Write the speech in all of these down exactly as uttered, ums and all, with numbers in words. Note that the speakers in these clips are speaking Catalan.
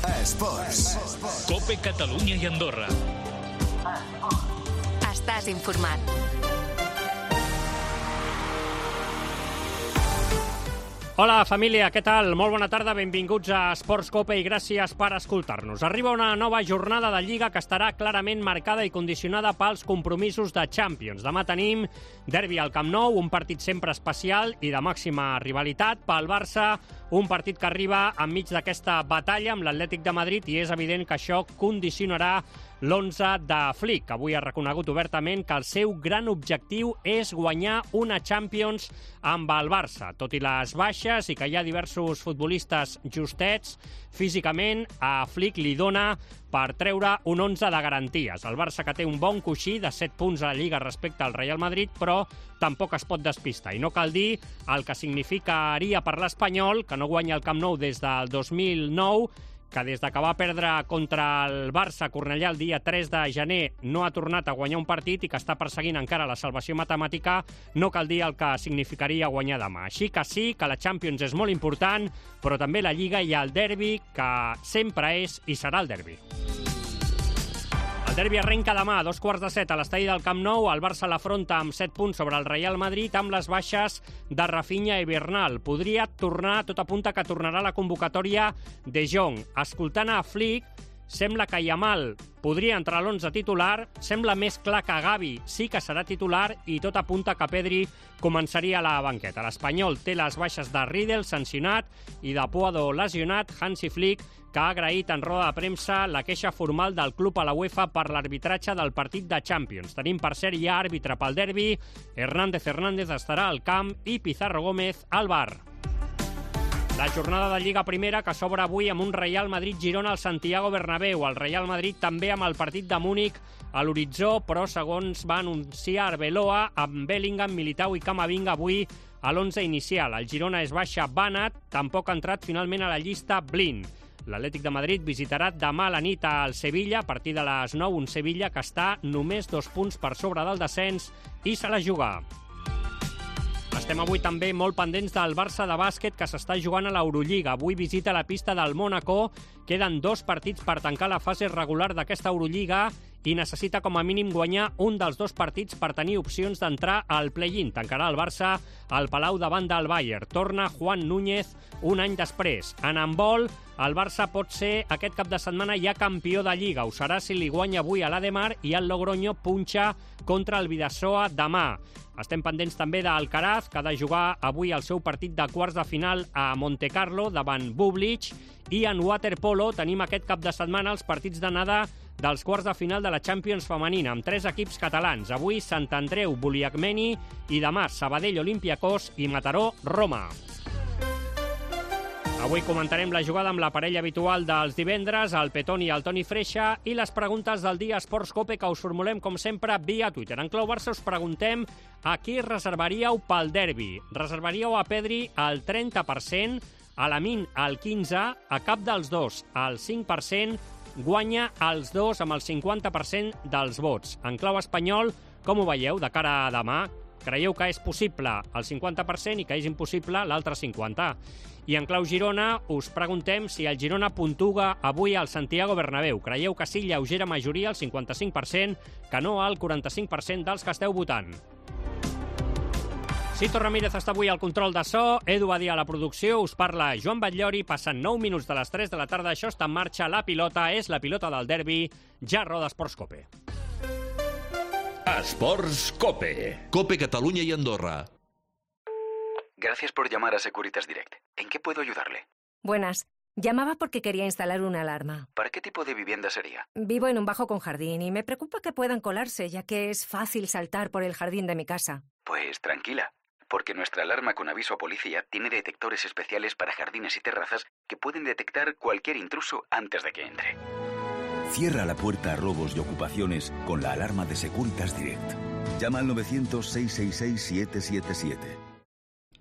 Esports. Cope Catalunya i Andorra. Estàs informat. Hola, família, què tal? Molt bona tarda, benvinguts a Esports Cope i gràcies per escoltar-nos. Arriba una nova jornada de Lliga que estarà clarament marcada i condicionada pels compromisos de Champions. Demà tenim derbi al Camp Nou, un partit sempre especial i de màxima rivalitat. Pel Barça, un partit que arriba enmig d'aquesta batalla amb l'Atlètic de Madrid i és evident que això condicionarà l'onze de Flick, que avui ha reconegut obertament que el seu gran objectiu és guanyar una Champions amb el Barça. Tot i les baixes i que hi ha diversos futbolistes justets, físicament a Flick li dona per treure un onze de garanties. El Barça, que té un bon coixí de set punts a la Lliga respecte al Real Madrid, però tampoc es pot despistar. I no cal dir el que significaria per l'Espanyol, que no guanya el Camp Nou des del dos mil nou, que des que va perdre contra el Barça a Cornellà el dia tres de gener no ha tornat a guanyar un partit i que està perseguint encara la salvació matemàtica, no cal dir el que significaria guanyar demà. Així que sí, que la Champions és molt important, però també la Lliga i el derbi, que sempre és i serà el derbi. El derbi arrenca demà a dos quarts de set a l'estadi del Camp Nou. El Barça l'afronta amb set punts sobre el Real Madrid amb les baixes de Rafinha i Bernal. Podria tornar, tot apunta que tornarà la convocatòria de Jong. Escoltant a Flick, sembla que Yamal podria entrar a l'onze titular, sembla més clar que Gavi sí que serà titular i tot apunta que Pedri començaria a la banqueta. L'Espanyol té les baixes de Riedel, sancionat, i de Puado, lesionat. Hansi Flick, que ha agraït en roda de premsa la queixa formal del club a la UEFA per l'arbitratge del partit de Champions. Tenim, per cert, ja àrbitre pel derbi. Hernández Hernández estarà al camp i Pizarro Gómez al bar. La jornada de Lliga Primera, que s'obre avui amb un Real Madrid-Girona al Santiago Bernabéu. El Real Madrid també amb el partit de Múnich a l'horitzó, però segons va anunciar Arbeloa, amb Bellingham, Militao i Camavinga avui a l'onze inicial. El Girona és baixa Banat, tampoc ha entrat finalment a la llista Blind. L'Atlètic de Madrid visitarà demà a la nit al Sevilla, a partir de les nou, un Sevilla que està només dos punts per sobre del descens i se la juga. Estem avui també molt pendents del Barça de bàsquet, que s'està jugant a l'Eurolliga. Avui visita la pista del Mónaco. Queden dos partits per tancar la fase regular d'aquesta Eurolliga i necessita com a mínim guanyar un dels dos partits per tenir opcions d'entrar al play-in. Tancarà el Barça al Palau davant del Bayern. Torna Juan Núñez un any després. En handbol, el Barça pot ser aquest cap de setmana ja campió de Lliga. Ho serà si li guanya avui a l'Ademar i el Logroño punxa contra el Vidasoa demà. Estem pendents també d'Alcaraz, que ha de jugar avui el seu partit de quarts de final a Montecarlo davant Bublik. I en waterpolo tenim aquest cap de setmana els partits d'anada dels quarts de final de la Champions femenina, amb tres equips catalans. Avui Sant Andreu, Buliacmeni i demà Sabadell, Olympiacos i Mataró, Roma. Avui comentarem la jugada amb la parella habitual dels divendres, el Petón i el Toni Freixa, i les preguntes del dia Esports Cope, que us formulem, com sempre, via Twitter. En clau Barça us preguntem a qui reservaríeu pel derbi. Reservaríeu a Pedri al trenta per cent, a Lamine al quinze per cent, a cap dels dos al cinc per cent, guanya els dos amb el cinquanta per cent dels vots. En clau espanyol, com ho veieu de cara a demà? Creieu que és possible el cinquanta per cent i que és impossible l'altre cinquanta per cent? I en clau Girona us preguntem si el Girona puntuga avui al Santiago Bernabéu. Creieu que sí, lleugera majoria, el cinquanta-cinc per cent, que no al quaranta-cinc per cent dels que esteu votant. Sito Ramírez està avui al control de so, Edu Badia a la producció, us parla Joan Batllori, passen nou minuts de les tres de la tarda, això està en marxa, la pilota és la pilota del derbi, ja roda Esports Cope. Esports Cope. Cope Catalunya y Andorra. Gracias por llamar a Securitas Direct. ¿En qué puedo ayudarle? Buenas. Llamaba porque quería instalar una alarma. ¿Para qué tipo de vivienda sería? Vivo en un bajo con jardín y me preocupa que puedan colarse, ya que es fácil saltar por el jardín de mi casa. Pues tranquila, porque nuestra alarma con aviso a policía tiene detectores especiales para jardines y terrazas que pueden detectar cualquier intruso antes de que entre. Cierra la puerta a robos y ocupaciones con la alarma de Securitas Direct. Llama al novecientos, seiscientos sesenta y seis, siete siete siete.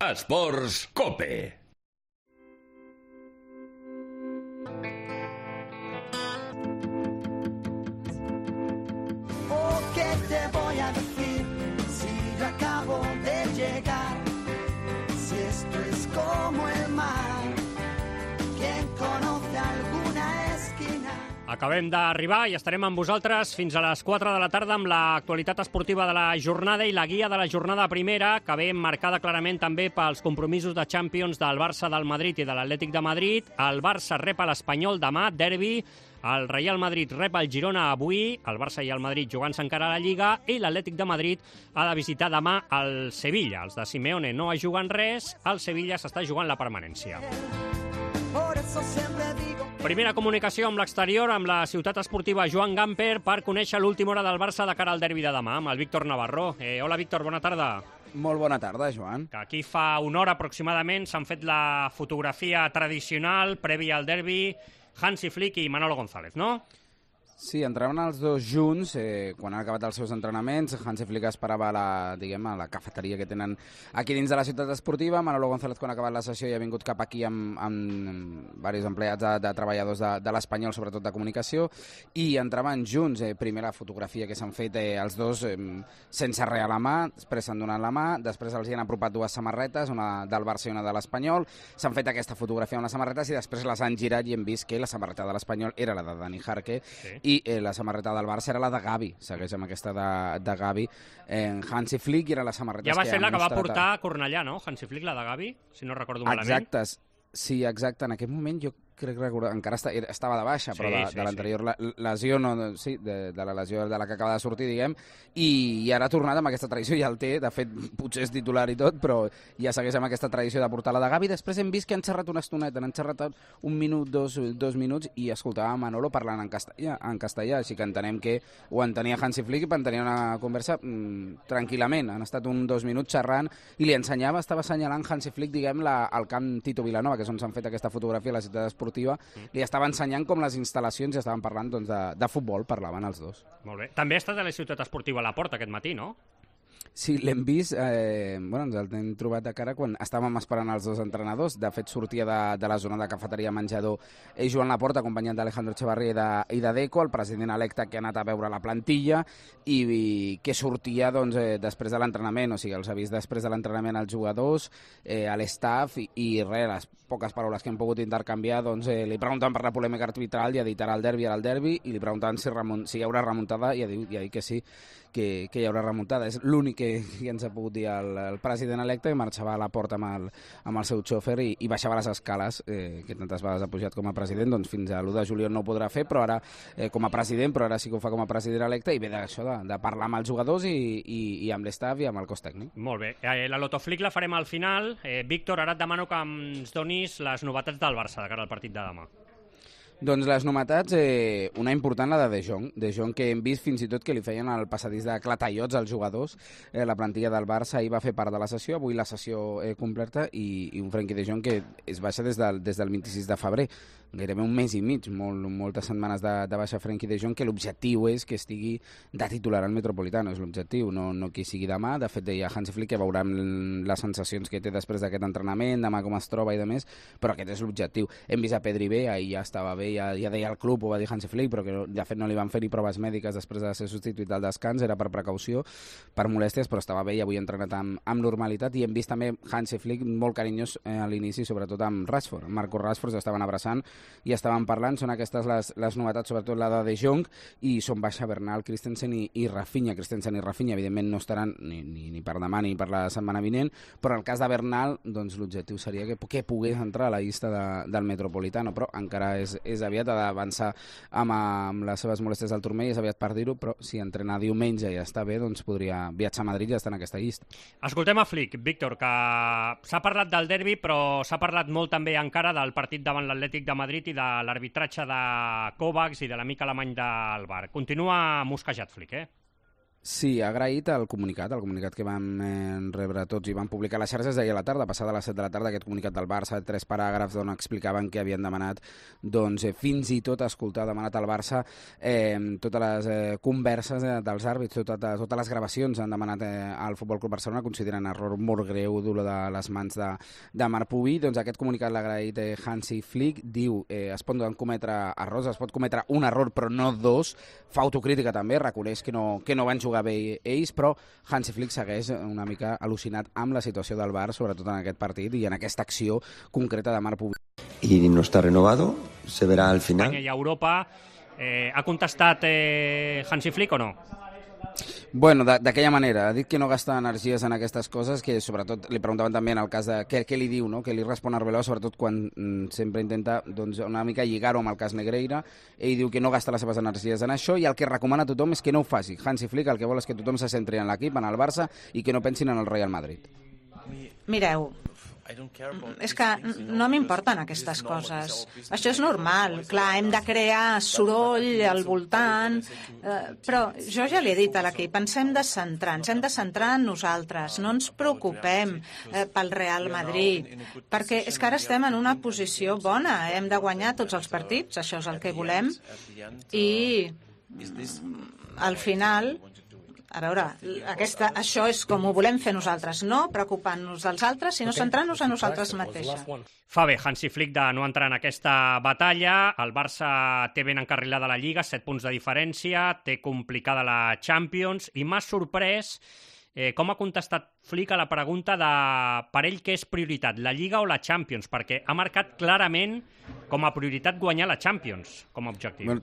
Esports Cope. Oh, ¿qué te voy a decir si yo acabo de llegar? Si esto es como el mar, ¿quién conoce alguna Acabem d'arribar i estarem amb vosaltres fins a les quatre de la tarda amb l'actualitat esportiva de la jornada i la guia de la jornada primera, que ve marcada clarament també pels compromisos de Champions del Barça, del Madrid i de l'Atlètic de Madrid. El Barça rep a l'Espanyol demà, derbi. El Real Madrid rep el Girona avui, el Barça i el Madrid jugant-se encara a la Lliga, i l'Atlètic de Madrid ha de visitar demà el Sevilla. Els de Simeone no es juguen res, el Sevilla s'està jugant la permanència. Primera comunicació amb l'exterior, amb la ciutat esportiva Joan Gamper, per conèixer l'última hora del Barça de cara al derbi de demà, amb el Víctor Navarro. Eh, hola, Víctor, bona tarda. Molt bona tarda, Joan. Que aquí fa una hora aproximadament s'han fet la fotografia tradicional prèvia al derbi, Hansi Flick i Manolo González, no? Sí, entraven els dos junts eh, quan han acabat els seus entrenaments. Hansi Flick esperava a la, diguem, a la cafeteria que tenen aquí dins de la ciutat esportiva. Manolo González, quan ha acabat la sessió, ja ha vingut cap aquí amb, amb diversos empleats de, de treballadors de, de l'Espanyol, sobretot de comunicació, i entraven junts. Eh, primera fotografia que s'han fet eh, els dos eh, sense res a la mà, després s'han donat la mà, després els hi han apropat dues samarretes, una del Barça i una de l'Espanyol. S'han fet aquesta fotografia amb les samarretes i després les han girat i hem vist que la samarreta de l'Espanyol era la de Dani Jarque, sí. I eh, la samarreta del Barça era la de Gavi, segueix amb aquesta de, de Gavi. Eh, Hansi Flick era la samarreta ja va que ser la que va mostrat... portar a Cornellà, no? Hansi Flick, la de Gavi, si no recordo malament. Exacte, sí, exacte. En aquest moment jo crec que encara està, estava de baixa, però sí, de, sí, de l'anterior sí. lesió, no, sí, de, de la lesió de la que acaba de sortir, diguem, i, i ara ha tornat amb aquesta tradició, ja el té, de fet, potser és titular i tot, però ja segueix amb aquesta tradició de portar la de Gavi. Després hem vist que han xerrat una estoneta, han xerrat un minut, dos, dos minuts, i escoltava Manolo parlant en castellà, en castellà, així que entenem que ho entenia Hansi Flick i entenia una conversa mmm, tranquil·lament. Han estat un dos minuts xerrant i li ensenyava, estava assenyalant Hansi Flick, diguem, la, al camp Tito Vilanova, que és on s'han fet aquesta fotografia a la ciutat esportiva. Li estava ensenyant com les instal·lacions i estaven parlant doncs, de, de futbol, parlaven els dos. Molt bé. També ha estat a la ciutat esportiva a la Porta aquest matí, no? Sí, l'hem vist, eh, bueno, ens l'hem trobat de cara quan estàvem esperant els dos entrenadors. De fet, sortia de, de la zona de cafeteria menjador eh, Joan Laporta, acompanyat d'Alejandro Echevarría i de, i de Deco, el president electe que ha anat a veure la plantilla i, i que sortia doncs, eh, després de l'entrenament, o sigui, els ha vist després de l'entrenament als jugadors, eh, a l'estaff i, i res, les poques paraules que hem pogut intercanviar, doncs eh, li preguntaven per la polèmica arbitral i ha dit ara el derbi, ara el derbi, i li preguntaven si, remont, si hi haurà remuntada i ha dit, i ha dit que sí, que, que hi haurà remuntada. És l'únic que, que ens ha pogut dir el, el president electe, que marxava a la porta amb el, amb el seu xòfer i, i baixava les escales, eh, que tantes vegades ha pujat com a president, doncs fins a l'u de juliol no ho podrà fer, però ara eh, com a president, però ara sí que ho fa com a president electe, i ve d'això de, de parlar amb els jugadors i, i, i amb l'estaff i amb el cos tècnic. Molt bé. Eh, la Lotoflick la farem al final. Eh, Víctor, ara et demano que ens donis les novetats del Barça de cara al partit de demà. Doncs les novetats, eh, una important, la de De Jong. De Jong, que hem vist fins i tot que li feien el passadís de clatallots als jugadors. Eh, la plantilla del Barça ahir va fer part de la sessió, avui la sessió eh, completa, i, i un Frenkie de Jong que es baixa des del, des del vint-i-sis de febrer. Gairebé un mes i mig, molt, moltes setmanes de, de baixa Frenkie de Jong, que l'objectiu és que estigui de titular al Metropolitano, és l'objectiu, no, no que sigui demà. De fet, deia Hansi Flick que veurem les sensacions que té després d'aquest entrenament, demà com es troba i de més, però aquest és l'objectiu. Hem vist a Pedri bé, ahir ja estava bé, ja, ja deia el club, ho va dir Hansi Flick, però que no, de fet no li van fer ni proves mèdiques després de ser substituït al descans, era per precaució, per molèsties, però estava bé i avui ha entrenat amb, amb normalitat. I hem vist també Hansi Flick molt carinyós eh, a l'inici, sobretot amb Rashford. Marco Rashford s'estaven abraçant i estaven parlant. Són aquestes les, les novetats, sobretot la de De Jong, i són baixa Bernal, Christensen i, i Rafinha. Christensen i Rafinha evidentment no estaran ni, ni, ni per demà ni per la setmana vinent, però en el cas de Bernal doncs, l'objectiu seria que, que pogués entrar a la llista de, del Metropolitano, però encara és, és aviat, ha d'avançar amb, amb les seves molèsties del turmell, és aviat per dir-ho, però si entrenar diumenge i ja està bé, doncs podria viatjar a Madrid i ja estar en aquesta llista. Escoltem a Flick, Víctor, que s'ha parlat del derbi, però s'ha parlat molt també encara del partit davant l'Atlètic de Madrid i de l'arbitratge de Kovacs i de l'amic alemany del Bar. Continua mosquejat Flick, eh? Sí, ha agraït el comunicat, el comunicat que vam eh, rebre tots i vam publicar a les xarxes d'ahir a la tarda, passada a les set de la tarda, aquest comunicat del Barça, tres paràgrafs on explicaven que havien demanat, doncs, eh, fins i tot escoltar, demanat al Barça eh, totes les eh, converses eh, dels àrbits, totes, totes les gravacions han demanat eh, al Futbol Club Barcelona, consideren error molt greu dur de les mans de, de Marc Pubi. Doncs aquest comunicat l'ha agraït eh, Hansi Flick, diu eh, es poden cometre errors, es pot cometre un error però no dos, fa autocrítica també, reconeix que no, que no van jugar jugar bé ells, però Hansi Flick segueix una mica al·lucinat amb la situació del Bar, sobretot en aquest partit i en aquesta acció concreta de Marc Pubi. Y no está renovado, se verá al final. Espanya i Europa Eh, ha contestat eh, Hansi Flick o no? Bueno, d'aquella manera, ha dit que no gasta energies en aquestes coses, que sobretot li preguntaven també en el cas de què, què li diu, no? Què li respon Arbeloa, sobretot quan mm, sempre intenta doncs, una mica lligar-ho amb el cas Negreira. Ell diu que no gasta les seves energies en això i el que recomana a tothom és que no ho faci. Hansi Flick el que vol és que tothom se centri en l'equip, en el Barça, i que no pensin en el Real Madrid. Mireu, és que no m'importen aquestes coses. Això és normal. Clar, hem de crear soroll al voltant, eh, però jo ja li he dit a l'equip, ens hem de centrar, ens hem de centrar en nosaltres, no ens preocupem eh, pel Real Madrid, perquè és que ara estem en una posició bona, hem de guanyar tots els partits, això és el que volem, i al final... A veure, aquesta, això és com ho volem fer nosaltres, no preocupant-nos dels altres, sinó centrant-nos en nosaltres mateixes. Fa bé Hansi Flick de no entrar en aquesta batalla. El Barça té ben encarrilada la Lliga, set punts de diferència, té complicada la Champions, i m'ha sorprès eh, com ha contestat Flick a la pregunta de per ell què és prioritat, la Lliga o la Champions, perquè ha marcat clarament com a prioritat guanyar la Champions com a objectiu. Bueno,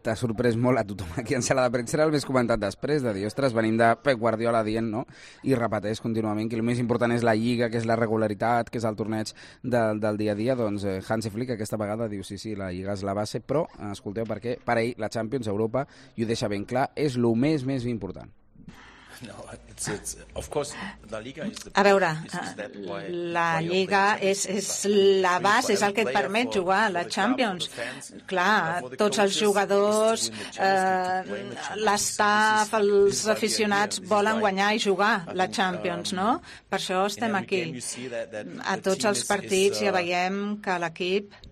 t'ha sorprès molt a tothom aquí en sala de premsa, era el més comentat després, de dir, ostres, venim de Pep Guardiola dient, no? I repeteix contínuament que el més important és la Lliga, que és la regularitat, que és el torneig de, del dia a dia. Doncs eh, Hansi Flick aquesta vegada diu, sí, sí, la Lliga és la base, però, escolteu, perquè per ell la Champions, Europa, i ho deixa ben clar, és el més, més important. A veure, la Lliga és, és la base, és el que et permet jugar a la Champions. Clar, tots els jugadors, eh, l'estaf, els aficionats volen guanyar i jugar la Champions, no? Per això estem aquí. A tots els partits ja veiem que l'equip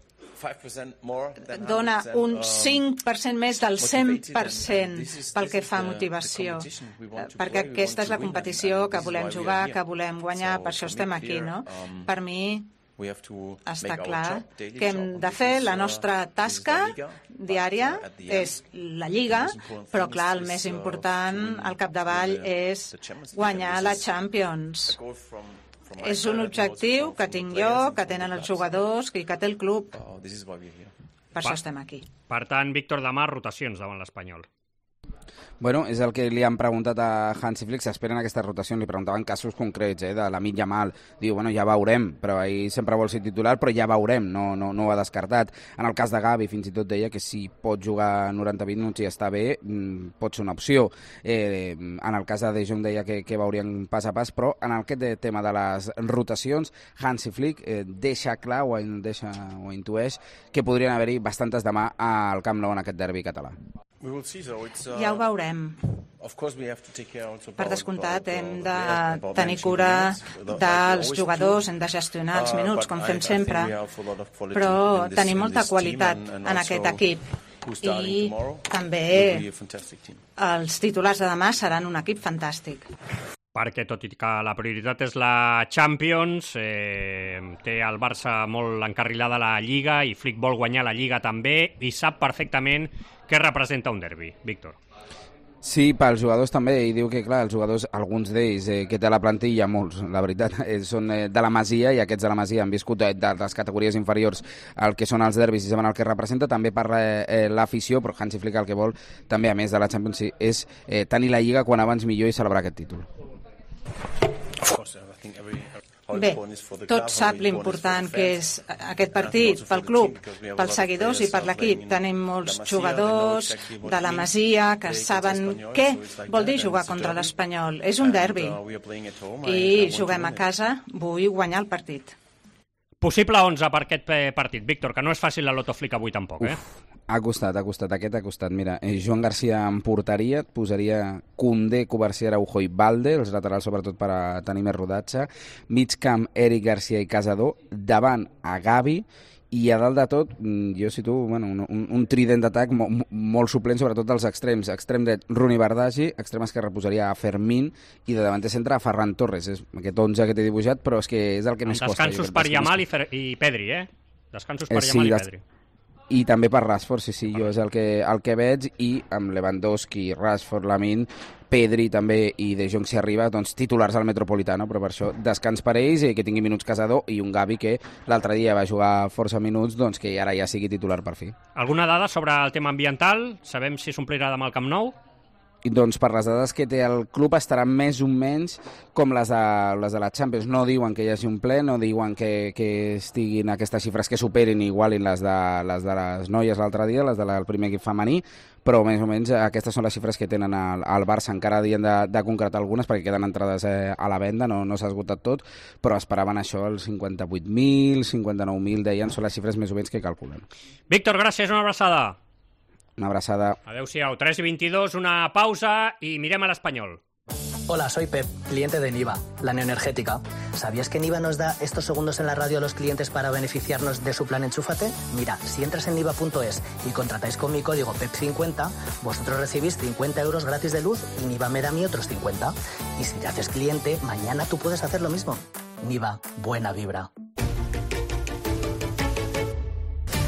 dona un cinc per cent més del cent per cent pel que fa a motivació, perquè aquesta és la competició que volem jugar, que volem guanyar, per això estem aquí, no? Per mi està clar que hem de fer la nostra tasca diària, és la Lliga, però clar, el més important al capdavall és guanyar la Champions. És un objectiu que tinc jo, que tenen els jugadors i que té el club. Per això estem aquí. Per tant, Víctor, demà rotacions davant l'Espanyol. Bueno, és el que li han preguntat a Hansi Flick, s'esperen aquestes rotacions, li preguntaven casos concrets, eh, de l'Lamine Yamal, diu, bueno, ja veurem, però ell sempre vol ser titular, però ja veurem, no, no, no ho ha descartat. En el cas de Gavi, fins i tot deia que si pot jugar noranta minuts i està bé, pot ser una opció. Eh, en el cas de De Jong deia que, que veurien pas a pas, però en aquest tema de les rotacions, Hansi Flick eh, deixa clar o, deixa, o intueix que podrien haver-hi bastantes demà al Camp Nou en aquest derbi català. Ja ho veurem. Per descomptat, hem de tenir cura dels jugadors, hem de gestionar els minuts, com fem sempre, però tenim molta qualitat en aquest equip i també els titulars de demà seran un equip fantàstic. Perquè tot i que la prioritat és la Champions, eh, té el Barça molt encarrilada la Lliga i Flick vol guanyar la Lliga també i sap perfectament què representa un derbi, Víctor. Sí, pels jugadors també, i diu que, clar, els jugadors, alguns d'ells eh, que té a la plantilla, molts, la veritat, eh, són eh, de la Masia, i aquests de la Masia han viscut eh, de les categories inferiors el que són els derbis i saben el que representa, també parla eh, l'afició, però Hansi Flick el que vol, també a més de la Champions, sí, és eh, tenir la Lliga quan abans millor i celebrar aquest títol. Bé, tot sap l'important que és aquest partit pel club, pels seguidors i per l'equip. Tenim molts jugadors de la Masia que saben què vol dir jugar contra l'Espanyol. És un derbi i juguem a casa, vull guanyar el partit. Possible onze per aquest partit, Víctor, que no és fàcil la Loto Flick avui tampoc, eh? Uf. Ha costat, ha costat, aquest ha costat. Mira, eh, Joan Garcia en porteria, et posaria Koundé, Covarsí, Araujo i Balde, els laterals sobretot per a tenir més rodatge, mig camp Eric Garcia i Casador, davant a Gavi, i a dalt de tot, jo situo bueno, un, un, un trident d'atac molt, molt suplent, sobretot dels extrems. Extrem dret, Runi Bardagi, extrem esquerre posaria a Fermín, i de davanter centre a Ferran Torres. És aquest onze que t'he dibuixat, però és que és el que més costa. Descansos per Yamal i, Fer i Pedri, eh? Descansos per eh, sí, Yamal i Pedri. i també per Rashford, sí, sí, jo és el que, el que veig, i amb Lewandowski, Rashford, Lamine, Pedri també i De Jong si arriba, doncs titulars al Metropolitano, però per això descans per ells i que tingui minuts Casador, i un Gavi que l'altre dia va jugar força minuts, doncs que ara ja sigui titular per fi. Alguna dada sobre el tema ambiental? Sabem si s'omplirà demà el Camp Nou? I doncs per les dades que té el club estaran més o menys com les de, les de la Champions. No diuen que hi hagi un ple, no diuen que, que estiguin aquestes xifres que superin i igualin les de les, de les noies l'altre dia, les del primer equip femení, però més o menys aquestes són les xifres que tenen al, al Barça. Encara havien de, de concretar algunes perquè queden entrades eh, a la venda, no, no s'ha esgotat tot, però esperaven això, els cinquanta-vuit mil, cinquanta-nou mil, deien, són les xifres més o menys que calculen. Víctor, gràcies, una abraçada. Una abraçada. Adéu-siau, tres i veintidós, una pausa i mirem a l'Espanyol. Hola, soy Pep, cliente de Niva, la neoenergética. ¿Sabías que Niva nos da estos segundos en la radio a los clientes para beneficiarnos de su plan Enchúfate? Mira, si entras en niva punto es y contratáis con mi código P E P cincuenta, vosotros recibís cincuenta euros gratis de luz y Niva me da a mí otros cincuenta. Y si te haces cliente, mañana tú puedes hacer lo mismo. Niva, buena vibra.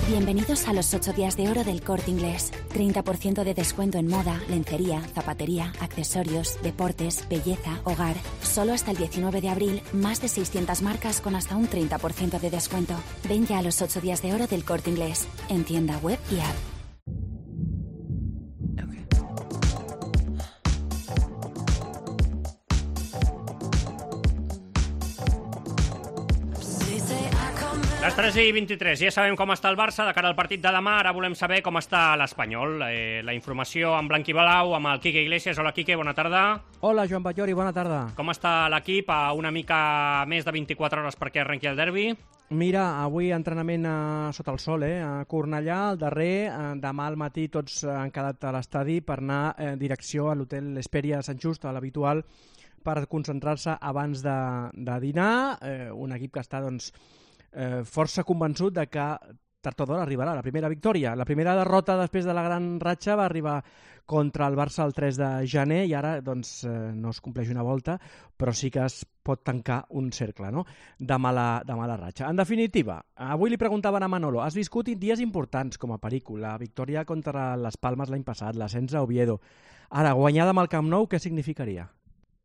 Bienvenidos a los ocho días de oro del Corte Inglés. treinta por ciento de descuento en moda, lencería, zapatería, accesorios, deportes, belleza, hogar. Solo hasta el diecinueve de abril, más de seiscientas marcas con hasta un treinta por ciento de descuento. Ven ya a los ocho días de oro del Corte Inglés, en tienda web y app. Les tres i vint-i-tres, ja sabem com està el Barça de cara al partit de demà, ara volem saber com està l'Espanyol. Eh, la informació en blanc i blau amb el Quique Iglesias. Hola, Quique, bona tarda. Hola, Joan Batllori, bona tarda. Com està l'equip a una mica més de vint-i-quatre hores perquè arrenqui el derbi? Mira, avui entrenament a, sota el sol, eh? A Cornellà, el darrer. Eh, demà al matí tots han quedat a l'estadi per anar en direcció a l'hotel Esperia Sant Just, a l'habitual, per concentrar-se abans de, de dinar. Eh, un equip que està, doncs, Eh, força convençut de que tard o d'hora arribarà la primera victòria. La primera derrota després de la gran ratxa va arribar contra el Barça el tres de gener i ara doncs, eh, no es compleix una volta, però sí que es pot tancar un cercle, no?, de mala, de mala ratxa. En definitiva, avui li preguntaven a Manolo, has viscut dies importants com a Perico, la victòria contra les Palmes l'any passat, l'ascens a Oviedo. Ara, guanyada amb el Camp Nou, què significaria?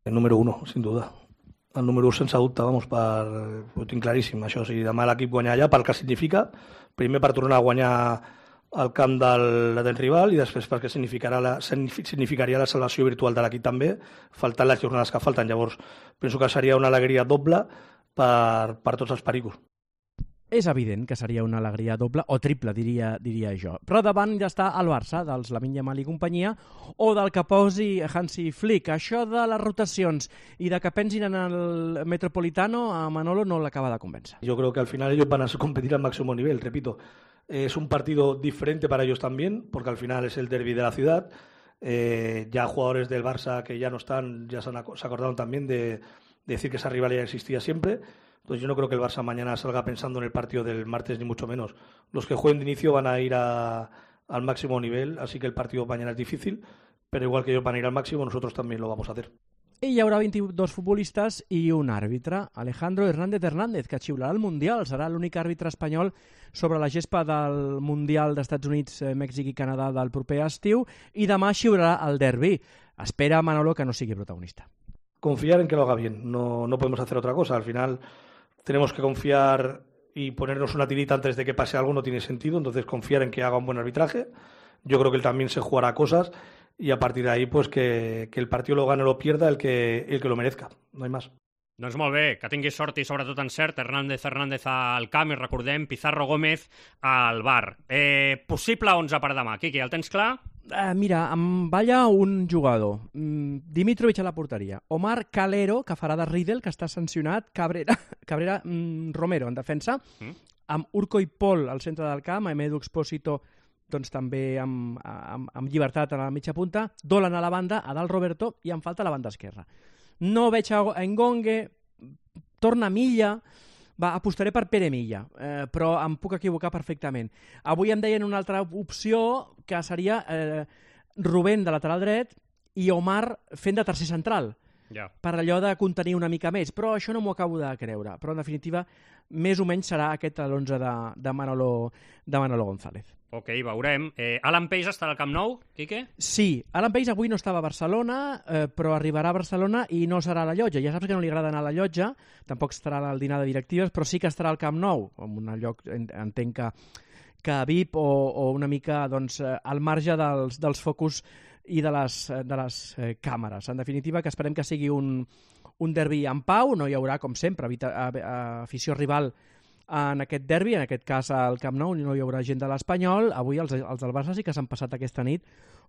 El número uno, sin duda. El número un sense dubte, vamos, per, ho tinc claríssim, això. O sigui, demà l'equip guanyar allà pel que significa, primer per tornar a guanyar al camp del, del rival i després perquè significarà la, significaria la salvació virtual de l'equip també, faltant les jornades que falten. Llavors, penso que seria una alegria doble per, per tots els pericos. És evident que seria una alegria doble o triple, diria, diria jo. Però davant ja està el Barça, dels Lamine Yamal i companyia, o del que posi Hansi Flick. Això de les rotacions i de que pensin en el Metropolitano, a Manolo no l'acaba de convèncer. Yo creo que al final ellos van a competir al máximo nivel, repito. Es un partido diferente para ellos también, porque al final es el derbi de la ciudad. Eh, ya jugadores del Barça que ya no están, ya se, han, se acordaron también de, de decir que esa rivalidad existía siempre. Entonces yo no creo que el Barça mañana salga pensando en el partido del martes, ni mucho menos. Los que jueguen de inicio van a ir a, al máximo nivel, así que el partido mañana es difícil, pero igual que ellos van a ir al máximo, nosotros también lo vamos a hacer. I hi haurà vint-i-dos futbolistes i un àrbitre, Alejandro Hernández Hernández, que xiularà el Mundial. Serà l'únic àrbitre espanyol sobre la gespa del Mundial d'Estats Units, Mèxic i Canadà del proper estiu, i demà xiularà el derbi. Espera Manolo que no sigui protagonista. Confiar en que lo haga bien, no, no podemos hacer otra cosa. Al final tenemos que confiar y ponernos una tirita antes de que pase algo no tiene sentido, entonces confiar en que haga un buen arbitraje. Yo creo que él también se jugará cosas y a partir de ahí pues que, que el partido lo gane o lo pierda el que, el que lo merezca, no hay más. Doncs molt bé, que tinguis sort i sobretot encert. Hernández Hernández al camp i recordem Pizarro Gómez al bar. Eh, possible onze per demà. Quiqui, el tens clar? Uh, mira, em balla un jugador. Mm, Dimitrovic a la porteria. Omar Calero, que farà de Riedel, que està sancionat. Cabrera, Cabrera mm, Romero en defensa. Mm. Amb Urco i Pol al centre del camp. Amb Edu Expósito doncs, també amb, amb, amb llibertat a la mitja punta. Dolan a la banda, a dalt Roberto, i em falta la banda esquerra. No veig a Engongue, torna Milla, va, apostaré per Pere Milla, eh, però em puc equivocar perfectament. Avui em deien una altra opció, que seria eh, Rubén de lateral dret i Omar fent de tercer central, ja, per allò de contenir una mica més, però això no m'ho acabo de creure. Però en definitiva, més o menys serà aquest l'onze de, de, Manolo, de Manolo González. Ok, veurem. Eh, Alan Pace estarà al Camp Nou, Quique? Sí, Alan Pace avui no estava a Barcelona, eh, però arribarà a Barcelona i no serà a la llotja. Ja saps que no li agrada anar a la llotja, tampoc estarà al dinar de directives, però sí que estarà al Camp Nou, en un lloc, entenc que, que V I P o, o una mica doncs, al marge dels, dels focus i de les, de les eh, càmeres. En definitiva, que esperem que sigui un, un derbi en pau, no hi haurà, com sempre, afició rival en aquest derbi, en aquest cas al Camp Nou, no hi haurà gent de l'Espanyol. Avui els, els del Barça sí que s'han passat aquesta nit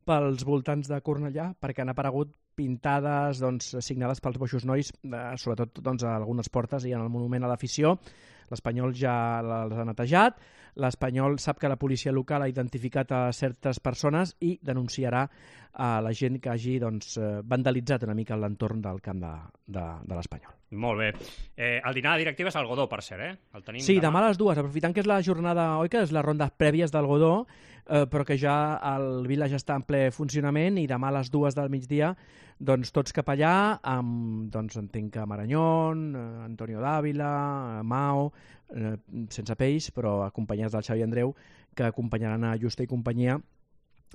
pels voltants de Cornellà, perquè han aparegut pintades doncs, signades pels Boixos Nois, eh, sobretot doncs, a algunes portes i en el monument a l'afició. L'Espanyol ja les ha netejat, l'Espanyol sap que la policia local ha identificat a certes persones i denunciarà a la gent que hagi doncs, vandalitzat una mica l'entorn del camp de, de, de l'Espanyol. Molt bé. Eh, el dinar de directives al Godó, per cert, eh? El tenim sí, demà demà a les dues, aprofitant que és la jornada, oi que és la ronda prèvies del Godó, eh, però que ja el Vila ja està en ple funcionament i demà a les dues del migdia doncs tots cap allà, amb, doncs entenc que Marañón, eh, Antonio Dávila, eh, Mao, eh, sense peix, però acompanyats del Xavi Andreu, que acompanyaran a Justa i companyia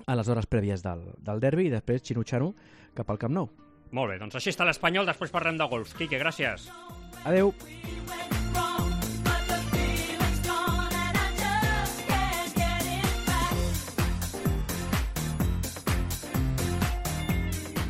a les hores prèvies del, del derbi i després xinutxant-ho cap al Camp Nou. Molt bé, doncs així està l'Espanyol, després parlem de golf. Quique, gràcies. Adeu.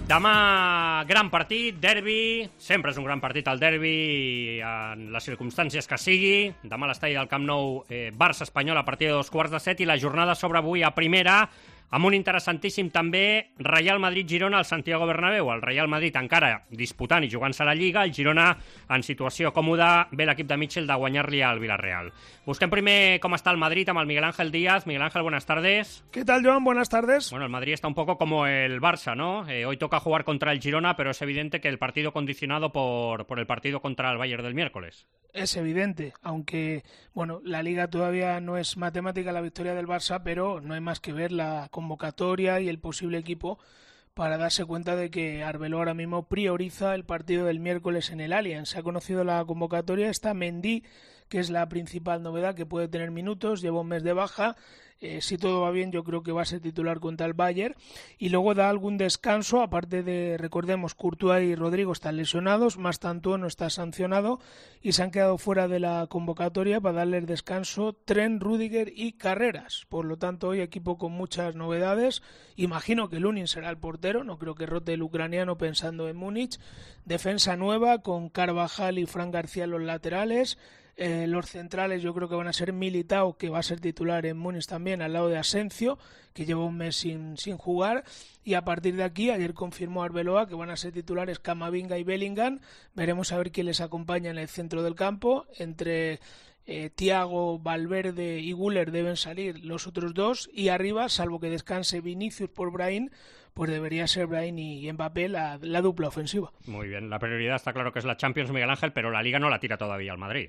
Demà, gran partit, derbi, sempre és un gran partit el derbi en les circumstàncies que sigui. Demà a l'estadi del Camp Nou, eh, Barça-Espanyol a partir de dos quarts de set i la jornada s'obre avui a primera amb un interessantíssim també Real Madrid-Girona al Santiago Bernabéu. El Real Madrid encara disputant i jugant-se a la Lliga, el Girona en situació còmoda, ve l'equip de Mitchell de guanyar-li al Villarreal. Busquem primer com està el Madrid amb el Miguel Ángel Díaz. Miguel Ángel, buenas tardes. ¿Qué tal, Joan? Buenas tardes. Bueno, el Madrid está un poco como el Barça, ¿no? Eh, hoy toca jugar contra el Girona, pero es evidente que el partido condicionado por, por el partido contra el Bayern del miércoles. Es evidente, aunque bueno, la Liga todavía no es matemática la victoria del Barça, pero no hay más que ver la convocatoria y el posible equipo para darse cuenta de que Arbeloa ahora mismo prioriza el partido del miércoles en el Allianz. Se ha conocido la convocatoria, está Mendy, que es la principal novedad, que puede tener minutos, lleva un mes de baja. Eh, si todo va bien, yo creo que va a ser titular contra el Bayern, y luego da algún descanso, aparte de, recordemos, Courtois y Rodrigo están lesionados, más tanto no está sancionado y se han quedado fuera de la convocatoria para darles descanso Trent, Rüdiger y Carreras. Por lo tanto, hoy equipo con muchas novedades. Imagino que Lunin será el portero, no creo que rote el ucraniano pensando en Múnich. Defensa nueva con Carvajal y Fran García en los laterales. Eh, los centrales yo creo que van a ser Militao, que va a ser titular en Múnich también, al lado de Asensio, que lleva un mes sin, sin jugar, y a partir de aquí, ayer confirmó Arbeloa que van a ser titulares Camavinga y Bellingham. Veremos a ver quién les acompaña en el centro del campo. Entre eh, Thiago, Valverde y Güler deben salir los otros dos, y arriba, salvo que descanse Vinicius por Brahim, pues debería ser Brahim y Mbappé la, la dupla ofensiva. Muy bien, la prioridad está claro que es la Champions, Miguel Ángel, pero la Liga no la tira todavía al Madrid.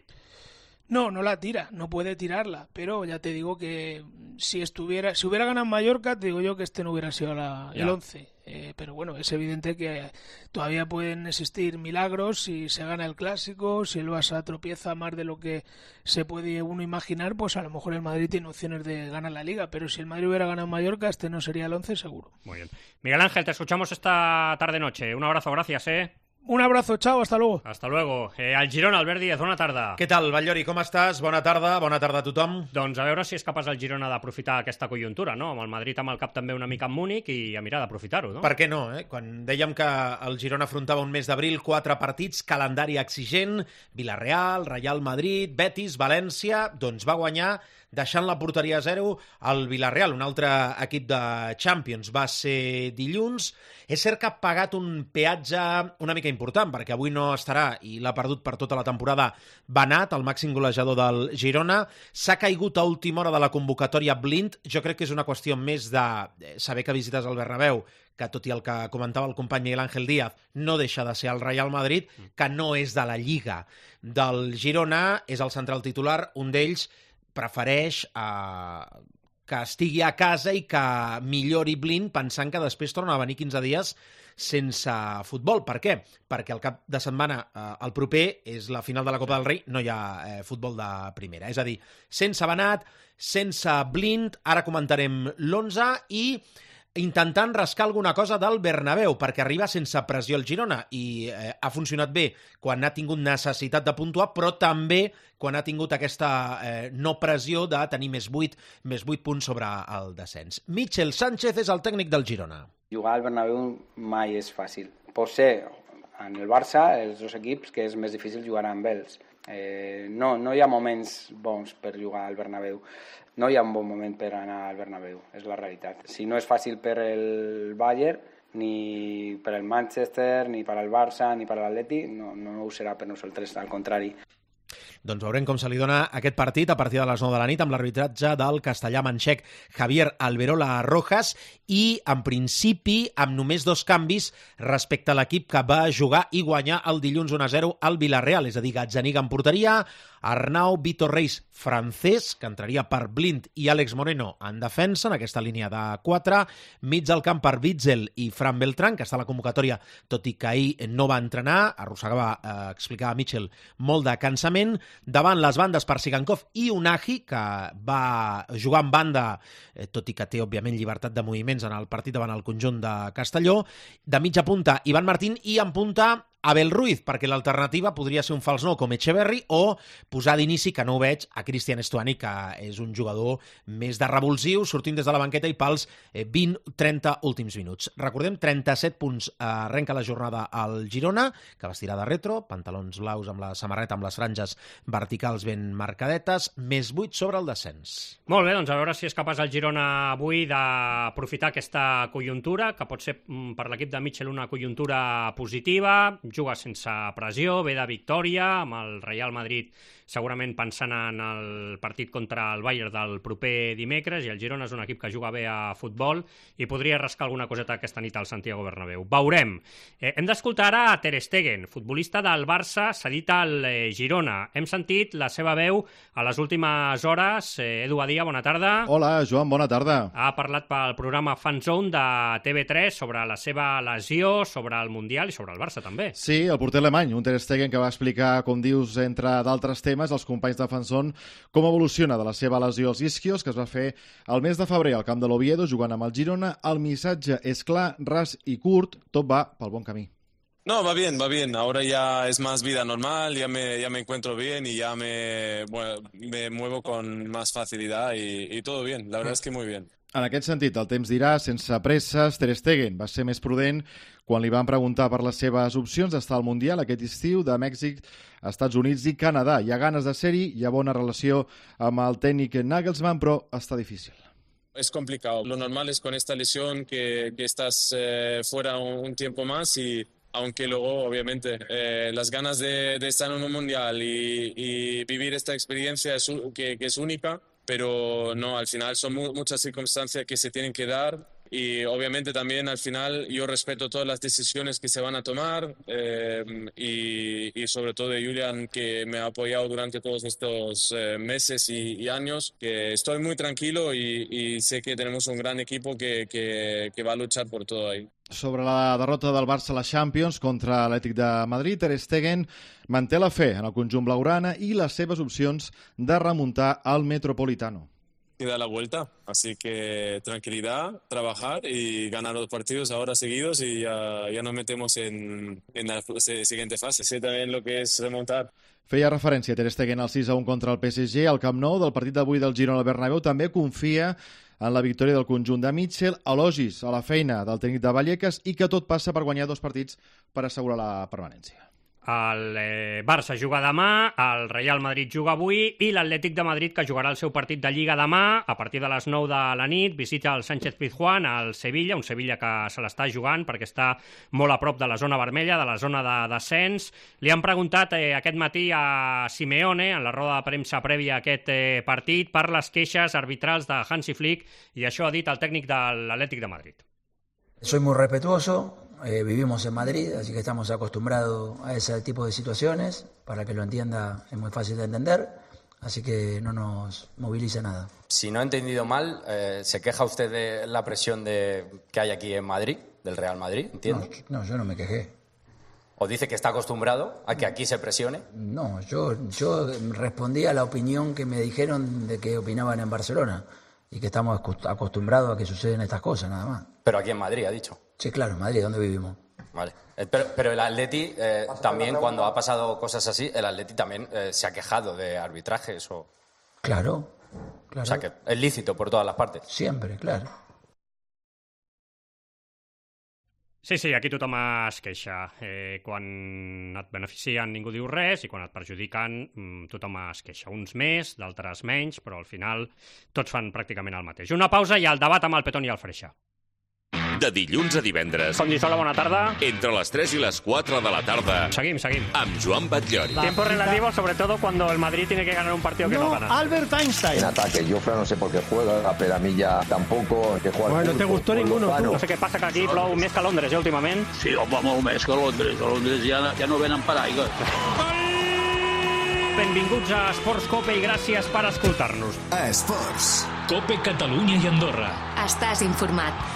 No, no la tira, no puede tirarla, pero ya te digo que si estuviera, si hubiera ganado Mallorca, te digo yo que este no hubiera sido la, el once. Eh, pero bueno, es evidente que todavía pueden existir milagros si se gana el Clásico, si el Barça tropieza más de lo que se puede uno imaginar, pues a lo mejor el Madrid tiene opciones de ganar la Liga, pero si el Madrid hubiera ganado Mallorca, este no sería el once seguro. Muy bien. Miguel Ángel, te escuchamos esta tarde-noche. Un abrazo, gracias, eh. Un abrazo, chao, hasta luego. Hasta luego. Eh, al Girona, Albert Díaz, bona tarda. Què tal, Batllori, com estàs? Bona tarda, bona tarda a tothom. Doncs a veure si és capaç el Girona d'aprofitar aquesta conjuntura, no? Amb el Madrid amb el cap també una mica en Múnich i a mirar d'aprofitar-ho, no? Per què no, eh? Quan dèiem que el Girona afrontava un mes d'abril, quatre partits, calendari exigent, Villarreal, Real Madrid, Betis, València, doncs va guanyar deixant la porteria a zero al Villarreal, un altre equip de Champions. Va ser dilluns. És cert que ha pagat un peatge una mica important, perquè avui no estarà i l'ha perdut per tota la temporada Banat, el màxim golejador del Girona. S'ha caigut a última hora de la convocatòria Blind. Jo crec que és una qüestió més de saber que visites el Bernabéu, que tot i el que comentava el company Miguel Ángel Díaz, no deixa de ser el Real Madrid, que no és de la Lliga del Girona, és el central titular, un d'ells prefereix eh, que estigui a casa i que millori Blind, pensant que després torna a venir quinze dies sense futbol. Per què? Perquè el cap de setmana, eh, el proper, és la final de la Copa del Rei, no hi ha eh, futbol de primera. És a dir, sense Benat, sense Blind, ara comentarem l'onze, i intentant rascar alguna cosa del Bernabéu, perquè arriba sense pressió el Girona, i eh, ha funcionat bé quan ha tingut necessitat de puntuar, però també quan ha tingut aquesta eh, no pressió de tenir més vuit, més vuit punts sobre el descens. Michel Sánchez és el tècnic del Girona. Jugar al Bernabéu mai és fàcil. Pot ser en el Barça, els dos equips, que és més difícil jugar amb ells. Eh, no, no hi ha moments bons per jugar al Bernabéu. No hi ha un bon moment per anar al Bernabéu, és la realitat. Si no és fàcil per el Bayern, ni per el Manchester, ni per al Barça, ni per l'Atleti, no, no ho serà per nosaltres, al contrari. Doncs veurem com se li dona aquest partit a partir de les nou de la nit amb l'arbitratge del castellà manxec Javier Alberola Rojas i, en principi, amb només dos canvis respecte a l'equip que va jugar i guanyar el dilluns un a zero al Villarreal, és a dir, Gazzaniga en porteria, Arnau Vitor Reis francès, que entraria per Blind i Àlex Moreno en defensa, en aquesta línia de quatre, mig del camp per Witzel i Fran Beltrán, que està a la convocatòria, tot i que ahir no va entrenar, arrossegava, eh, explicava Mitchell, molt de cansament, davant les bandes per Sigankov i Unagi, que va jugar en banda, eh, tot i que té, òbviament, llibertat de moviments en el partit davant el conjunt de Castelló, de mitja punta Ivan Martín i en punta Abel Ruiz, perquè l'alternativa podria ser un fals nou com Echeverri o posar d'inici, que no ho veig, a Cristian Estuani, que és un jugador més de revulsiu, sortint des de la banqueta i pels vint trenta últims minuts. Recordem, trenta-set punts arrenca la jornada al Girona, que vestirà de retro, pantalons blaus amb la samarreta amb les franges verticals ben marcadetes, més vuit sobre el descens. Molt bé, doncs a veure si és capaç el Girona avui d'aprofitar aquesta conjuntura, que pot ser per l'equip de Mitchell una conjuntura positiva, juga sense pressió, ve de victòria, amb el Real Madrid segurament pensant en el partit contra el Bayern del proper dimecres, i el Girona és un equip que juga bé a futbol i podria rascar alguna coseta aquesta nit al Santiago Bernabéu. Veurem. Eh, hem d'escoltar ara a Ter Stegen, futbolista del Barça, cedit al eh, Girona. Hem sentit la seva veu a les últimes hores. Eh, Edu Badia, bona tarda. Hola, Joan, bona tarda. Ha parlat pel programa Fan Zone de T V tres sobre la seva lesió, sobre el Mundial i sobre el Barça també. Sí, el porter alemany, un Ter Stegen que va explicar, com dius, entre d'altres temes, als companys de Fan Zone, com evoluciona de la seva lesió als isquios, que es va fer el mes de febrer al camp de l'Oviedo, jugant amb el Girona. El missatge és clar, ras i curt, tot va pel bon camí. No, va bien, va bien. Ahora ya es más vida normal, ya me, ya me encuentro bien y ya me, bueno, me muevo con más facilidad y, y todo bien. La verdad es que muy bien. En aquest sentit, el temps dirà, sense presses, Ter Stegen va ser més prudent quan li van preguntar per les seves opcions d'estar al Mundial aquest estiu de Mèxic, Estats Units i Canadà. Hi ha ganes de ser-hi, hi ha bona relació amb el tècnic Nagelsmann, però està difícil. Es complicado. Lo normal es con esta lesión que, que estás eh, fuera un, un tiempo más y aunque luego, obviamente, eh, las ganas de, de estar en un Mundial y, y vivir esta experiencia es, que, que es única, pero no, al final son mu muchas circunstancias que se tienen que dar y obviamente también al final yo respeto todas las decisiones que se van a tomar eh, y, y sobre todo de Julian, que me ha apoyado durante todos estos eh, meses y, y años, que estoy muy tranquilo y, y sé que tenemos un gran equipo que, que, que va a luchar por todo ahí. Sobre la derrota del Barça a la Champions contra l'Atlètic de Madrid, Ter Stegen manté la fe en el conjunt blaugrana i les seves opcions de remuntar al Metropolitano. Y da la vuelta, así que tranquilidad, trabajar y ganar los partidos ahora seguidos y ya, ya nos metemos en, en la siguiente fase. Sé también lo que es remontar. Feia referència Ter Stegen al sis a un contra el P S G. Al Camp Nou del partit d'avui del Girona al Bernabéu també confia en la victòria del conjunt de Mitchell, elogis a la feina del tècnic de Vallecas i que tot passa per guanyar dos partits per assegurar la permanència. El eh, Barça juga demà, el Real Madrid juga avui i l'Atlètic de Madrid, que jugarà el seu partit de Lliga demà a partir de les nou de la nit, visita el Sánchez Pizjuán al Sevilla, un Sevilla que se l'està jugant perquè està molt a prop de la zona vermella, de la zona de descens. Li han preguntat eh, aquest matí a Simeone, en la roda de premsa prèvia a aquest eh, partit, per les queixes arbitrals de Hansi Flick, i això ha dit el tècnic de l'Atlètic de Madrid. Soy muy respetuoso. Eh, vivimos en Madrid, así que estamos acostumbrados a ese tipo de situaciones. Para que lo entienda es muy fácil de entender. Así que no nos moviliza nada. Si no he entendido mal, eh, ¿se queja usted de la presión de, que hay aquí en Madrid, del Real Madrid, entiendo? No, no, yo no me quejé. ¿O dice que está acostumbrado a que aquí se presione? No, yo, yo respondí a la opinión que me dijeron de que opinaban en Barcelona y que estamos acostumbrados a que suceden estas cosas, nada más. Pero aquí en Madrid, ha dicho. Sí, claro, en Madrid, ¿dónde vivimos? Vale. Pero, pero el Atleti, eh, también cuando ha pasado cosas así, el Atleti también eh, se ha quejado de arbitrajes o... Claro, claro. O sea que es lícito por todas las partes. Siempre, claro. Sí, sí, aquí tothom es queixa. Eh, quan et beneficien ningú diu res i quan et perjudiquen tothom es queixa. Uns més, d'altres menys, però al final tots fan pràcticament el mateix. Una pausa i el debat amb el Petón i el Freixa. De dilluns a divendres. Condisola, bona tarda. Entre les tres i les quatre de la tarda. Seguim, seguim. Amb Joan Batllori. Tiempo relativo, sobre todo cuando el Madrid tiene que ganar un partido que no, no gana. Albert Einstein. En ataque, Jofre no sé por qué juega, pero a mí ya tampoco. Que juega bueno, ¿te gustó ninguno? Tú? No sé què passa, que aquí plou més que a Londres, eh, últimament. Sí, home, molt més que a Londres. A Londres ja, ja no venen paraigua. Benvinguts a Esports Cope i gràcies per escoltar-nos. A Esports. Cope Catalunya i Andorra. Estàs informat.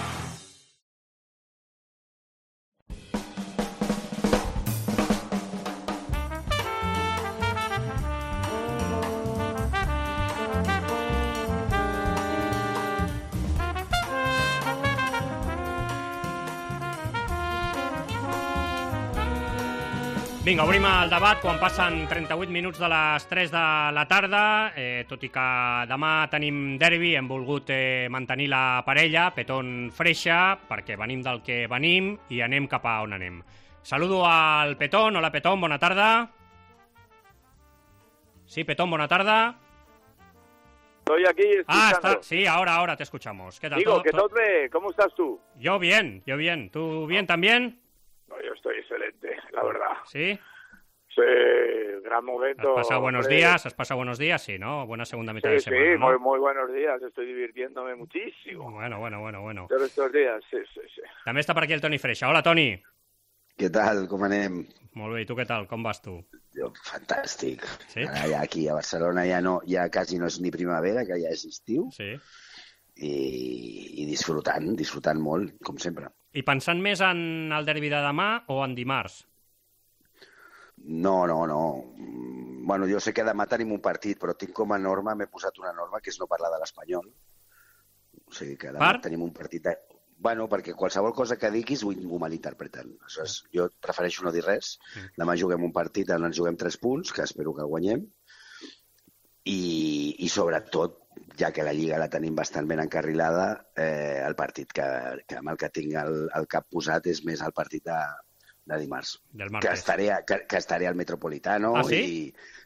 Vinga, obrim el debat quan passen trenta-vuit minuts de les tres de la tarda. Eh, tot i que demà tenim derbi, hem volgut eh, mantenir la parella, Petón-Freixa, perquè venim del que venim i anem cap a on anem. Saludo al Petón. Hola, Petón, bona tarda. Sí, Petón, bona tarda. Estoy aquí escuchando. Ah, está, sí, ahora, ahora te escuchamos. ¿Qué tal? Digo, ¿Todo, que todo? todo ve, ¿cómo estás tú? Yo bien, yo bien. ¿Tú bien también? No, yo estoy excelente, la verdad. ¿Sí? Sí, gran momento. ¿Has pasado buenos hombre. días? ¿Has pasado buenos días? Sí, ¿no? Buena segunda mitad sí, de semana, Sí, ¿no? muy, muy buenos días. Estoy divirtiéndome muchísimo. Bueno, bueno, bueno, bueno. Todos estos días, sí, sí, sí. També està per aquí el Toni Freixa. Hola, Toni. Què tal? Com anem? Molt bé, i tu què tal? Com vas tu? Jo, fantàstic. Sí? Ara ja aquí a Barcelona ja no, ja quasi no és ni primavera, que ja és estiu. Sí. I, i disfrutant, disfrutant molt, com sempre. I pensant més en el derbi de demà o en dimarts? No, no, no. Bueno, jo sé que demà tenim un partit, però tinc com a norma, m'he posat una norma, que és no parlar de l'Espanyol. O sigui que demà per? tenim un partit... De... Bueno, perquè qualsevol cosa que diguis ho, ho malinterpreten. Aleshores, jo prefereixo no dir res. Demà juguem un partit on ens juguem tres punts, que espero que guanyem. I, i sobretot, ja que la Lliga la tenim bastant ben encarrilada, eh, el partit que, que amb el que tinc el, el cap posat és més el partit de, de dimarts. Del que, estaré, que, que estaré al Metropolitano. Ah, sí?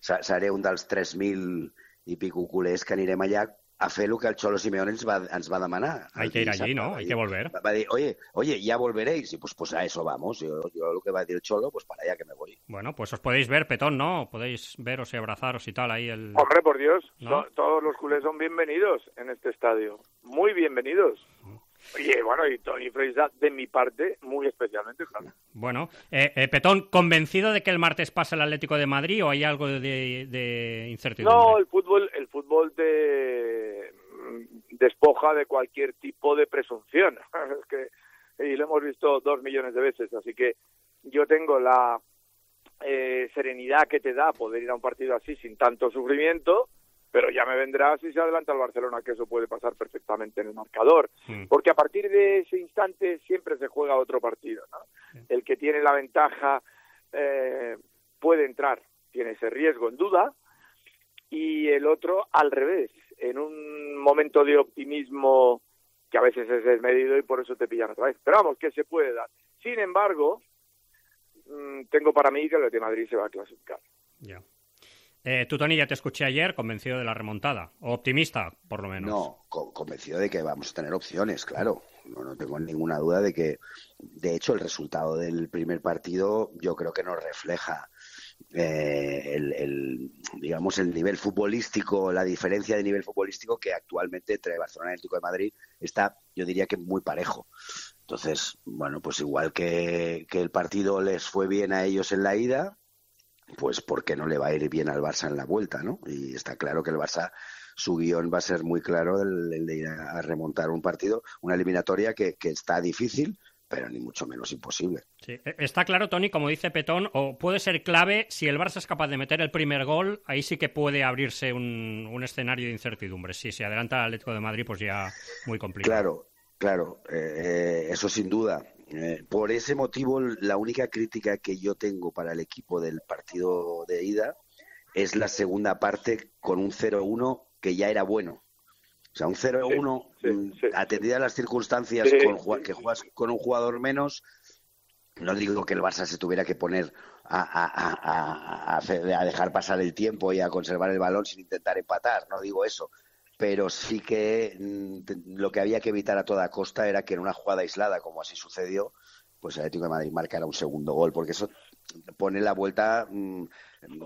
I seré un dels tres mil i pico culers que anirem allà a fer el que el Cholo Simeone ens va, ens va demanar. Hay que ir allí, ¿no? Hay que volver. Va, va dir, oye, oye, ya volveréis. Y pues, pues a eso vamos. Yo, yo lo que va a decir el Cholo, pues para allá que me voy. Bueno, pues os podéis ver, Petón, ¿no? Podéis veros y abrazaros y tal ahí el... Hombre, por Dios, ¿no? so, todos los culés son bienvenidos en este estadio. Muy bienvenidos. Y bueno, y Toni Freixa, de mi parte, muy especialmente, claro. Bueno, eh, eh, Petón, ¿convencido de que el martes pasa el Atlético de Madrid o hay algo de, de incertidumbre? No, el fútbol, el fútbol te despoja de cualquier tipo de presunción. Es que, y lo hemos visto dos millones de veces, así que yo tengo la eh, serenidad que te da poder ir a un partido así sin tanto sufrimiento, pero ya me vendrá si se adelanta el Barcelona, que eso puede pasar perfectamente en el marcador. Mm. Porque a partir de ese instante siempre se juega otro partido, ¿no? Sí. El que tiene la ventaja eh, puede entrar, tiene ese riesgo en duda, y el otro al revés, en un momento de optimismo que a veces es desmedido y por eso te pillan otra vez. Pero vamos, que se puede dar. Sin embargo, mmm, tengo para mí que el de Madrid se va a clasificar. Ya. Yeah. Eh, tú, Toni, ya te escuché ayer convencido de la remontada, o optimista, por lo menos. No, co- convencido de que vamos a tener opciones, claro. No, no tengo ninguna duda de que, de hecho, el resultado del primer partido yo creo que nos refleja eh, el, el, digamos, el nivel futbolístico, la diferencia de nivel futbolístico que actualmente entre Barcelona y el Atlético de Madrid está, yo diría que muy parejo. Entonces, bueno, pues igual que, que el partido les fue bien a ellos en la ida, pues ¿por qué no le va a ir bien al Barça en la vuelta, ¿no? Y está claro que el Barça, su guión va a ser muy claro, el, el de ir a remontar un partido, una eliminatoria que, que está difícil, pero ni mucho menos imposible. Sí. Está claro, Toni, como dice Petón, o puede ser clave, si el Barça es capaz de meter el primer gol, ahí sí que puede abrirse un, un escenario de incertidumbre. Si se adelanta el Atlético de Madrid, pues ya muy complicado. Claro, claro, eh, eso sin duda. Eh, por ese motivo, la única crítica que yo tengo para el equipo del partido de ida es la segunda parte con un cero uno que ya era bueno. O sea, un cero uno, sí, sí, sí. atendidas las circunstancias, sí, con, que juegas con un jugador menos, no digo que el Barça se tuviera que poner a, a, a, a, a dejar pasar el tiempo y a conservar el balón sin intentar empatar, no digo eso. Pero sí que mm, lo que había que evitar a toda costa era que en una jugada aislada, como así sucedió, pues el Atlético de Madrid marcara un segundo gol, porque eso pone la vuelta mm,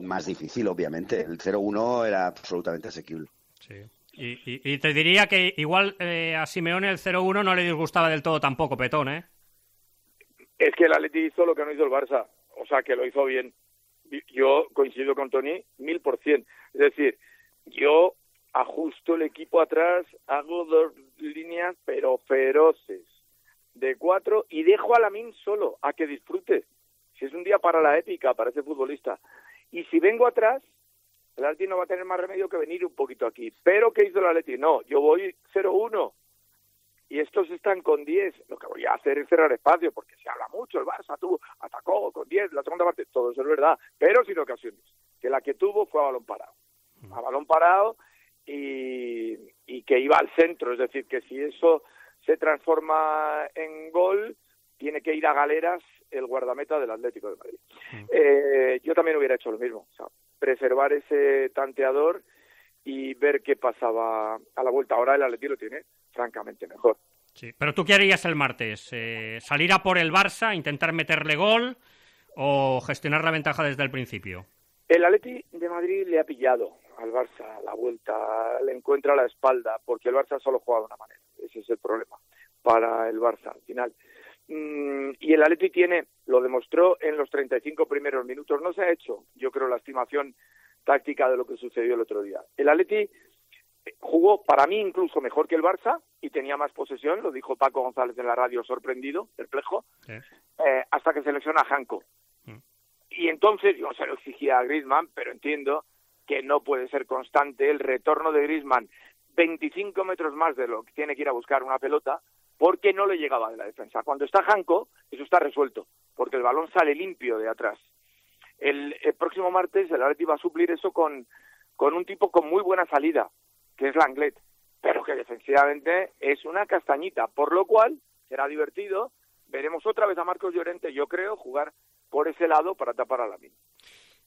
más difícil, obviamente. El cero uno era absolutamente asequible. Sí. Y, y, y te diría que igual eh, a Simeone el cero uno no le disgustaba del todo tampoco, Petón, ¿eh? Es que el Atleti hizo lo que no hizo el Barça, o sea, que lo hizo bien. Yo coincido con Toni mil por cien. Es decir, yo ajusto el equipo atrás, hago dos líneas, pero feroces, de cuatro, y dejo a Lamine solo, a que disfrute. Si es un día para la épica, para ese futbolista. Y si vengo atrás, el Atleti no va a tener más remedio que venir un poquito aquí. ¿Pero qué hizo el Atleti? No, yo voy cero uno. Y estos están con diez. Lo que voy a hacer es cerrar espacio, porque se habla mucho. El Barça tuvo, atacó con diez, la segunda parte. Todo eso es verdad, pero sin ocasiones. Que la que tuvo fue a balón parado. A balón parado y, y que iba al centro. Es decir, que si eso se transforma en gol, tiene que ir a galeras el guardameta del Atlético de Madrid. Mm. Eh, yo también hubiera hecho lo mismo. O sea, preservar ese tanteador y ver qué pasaba a la vuelta. Ahora el Atlético lo tiene francamente mejor. Sí, pero ¿tú qué harías el martes? Eh, ¿Salir a por el Barça, intentar meterle gol o gestionar la ventaja desde el principio? El Atleti de Madrid le ha pillado al Barça a la vuelta, le encuentra la espalda, porque el Barça solo juega de una manera. Ese es el problema para el Barça al final. Mm, y el Atleti tiene, lo demostró en los treinta y cinco primeros minutos, no se ha hecho, yo creo, la estimación táctica de lo que sucedió el otro día. El Atleti jugó, para mí, incluso mejor que el Barça y tenía más posesión, lo dijo Paco González en la radio, sorprendido, perplejo, sí. eh, hasta que selecciona a Janko. Mm. Y entonces, yo se lo exigía a Griezmann, pero entiendo que no puede ser constante el retorno de Griezmann veinticinco metros más de lo que tiene que ir a buscar una pelota, porque no le llegaba de la defensa. Cuando está Janko, eso está resuelto, porque el balón sale limpio de atrás. El, el próximo martes el Atleti va a suplir eso con, con un tipo con muy buena salida, que es Langlet, pero que defensivamente es una castañita, por lo cual será divertido. Veremos otra vez a Marcos Llorente, yo creo, jugar por ese lado para tapar a Lamine.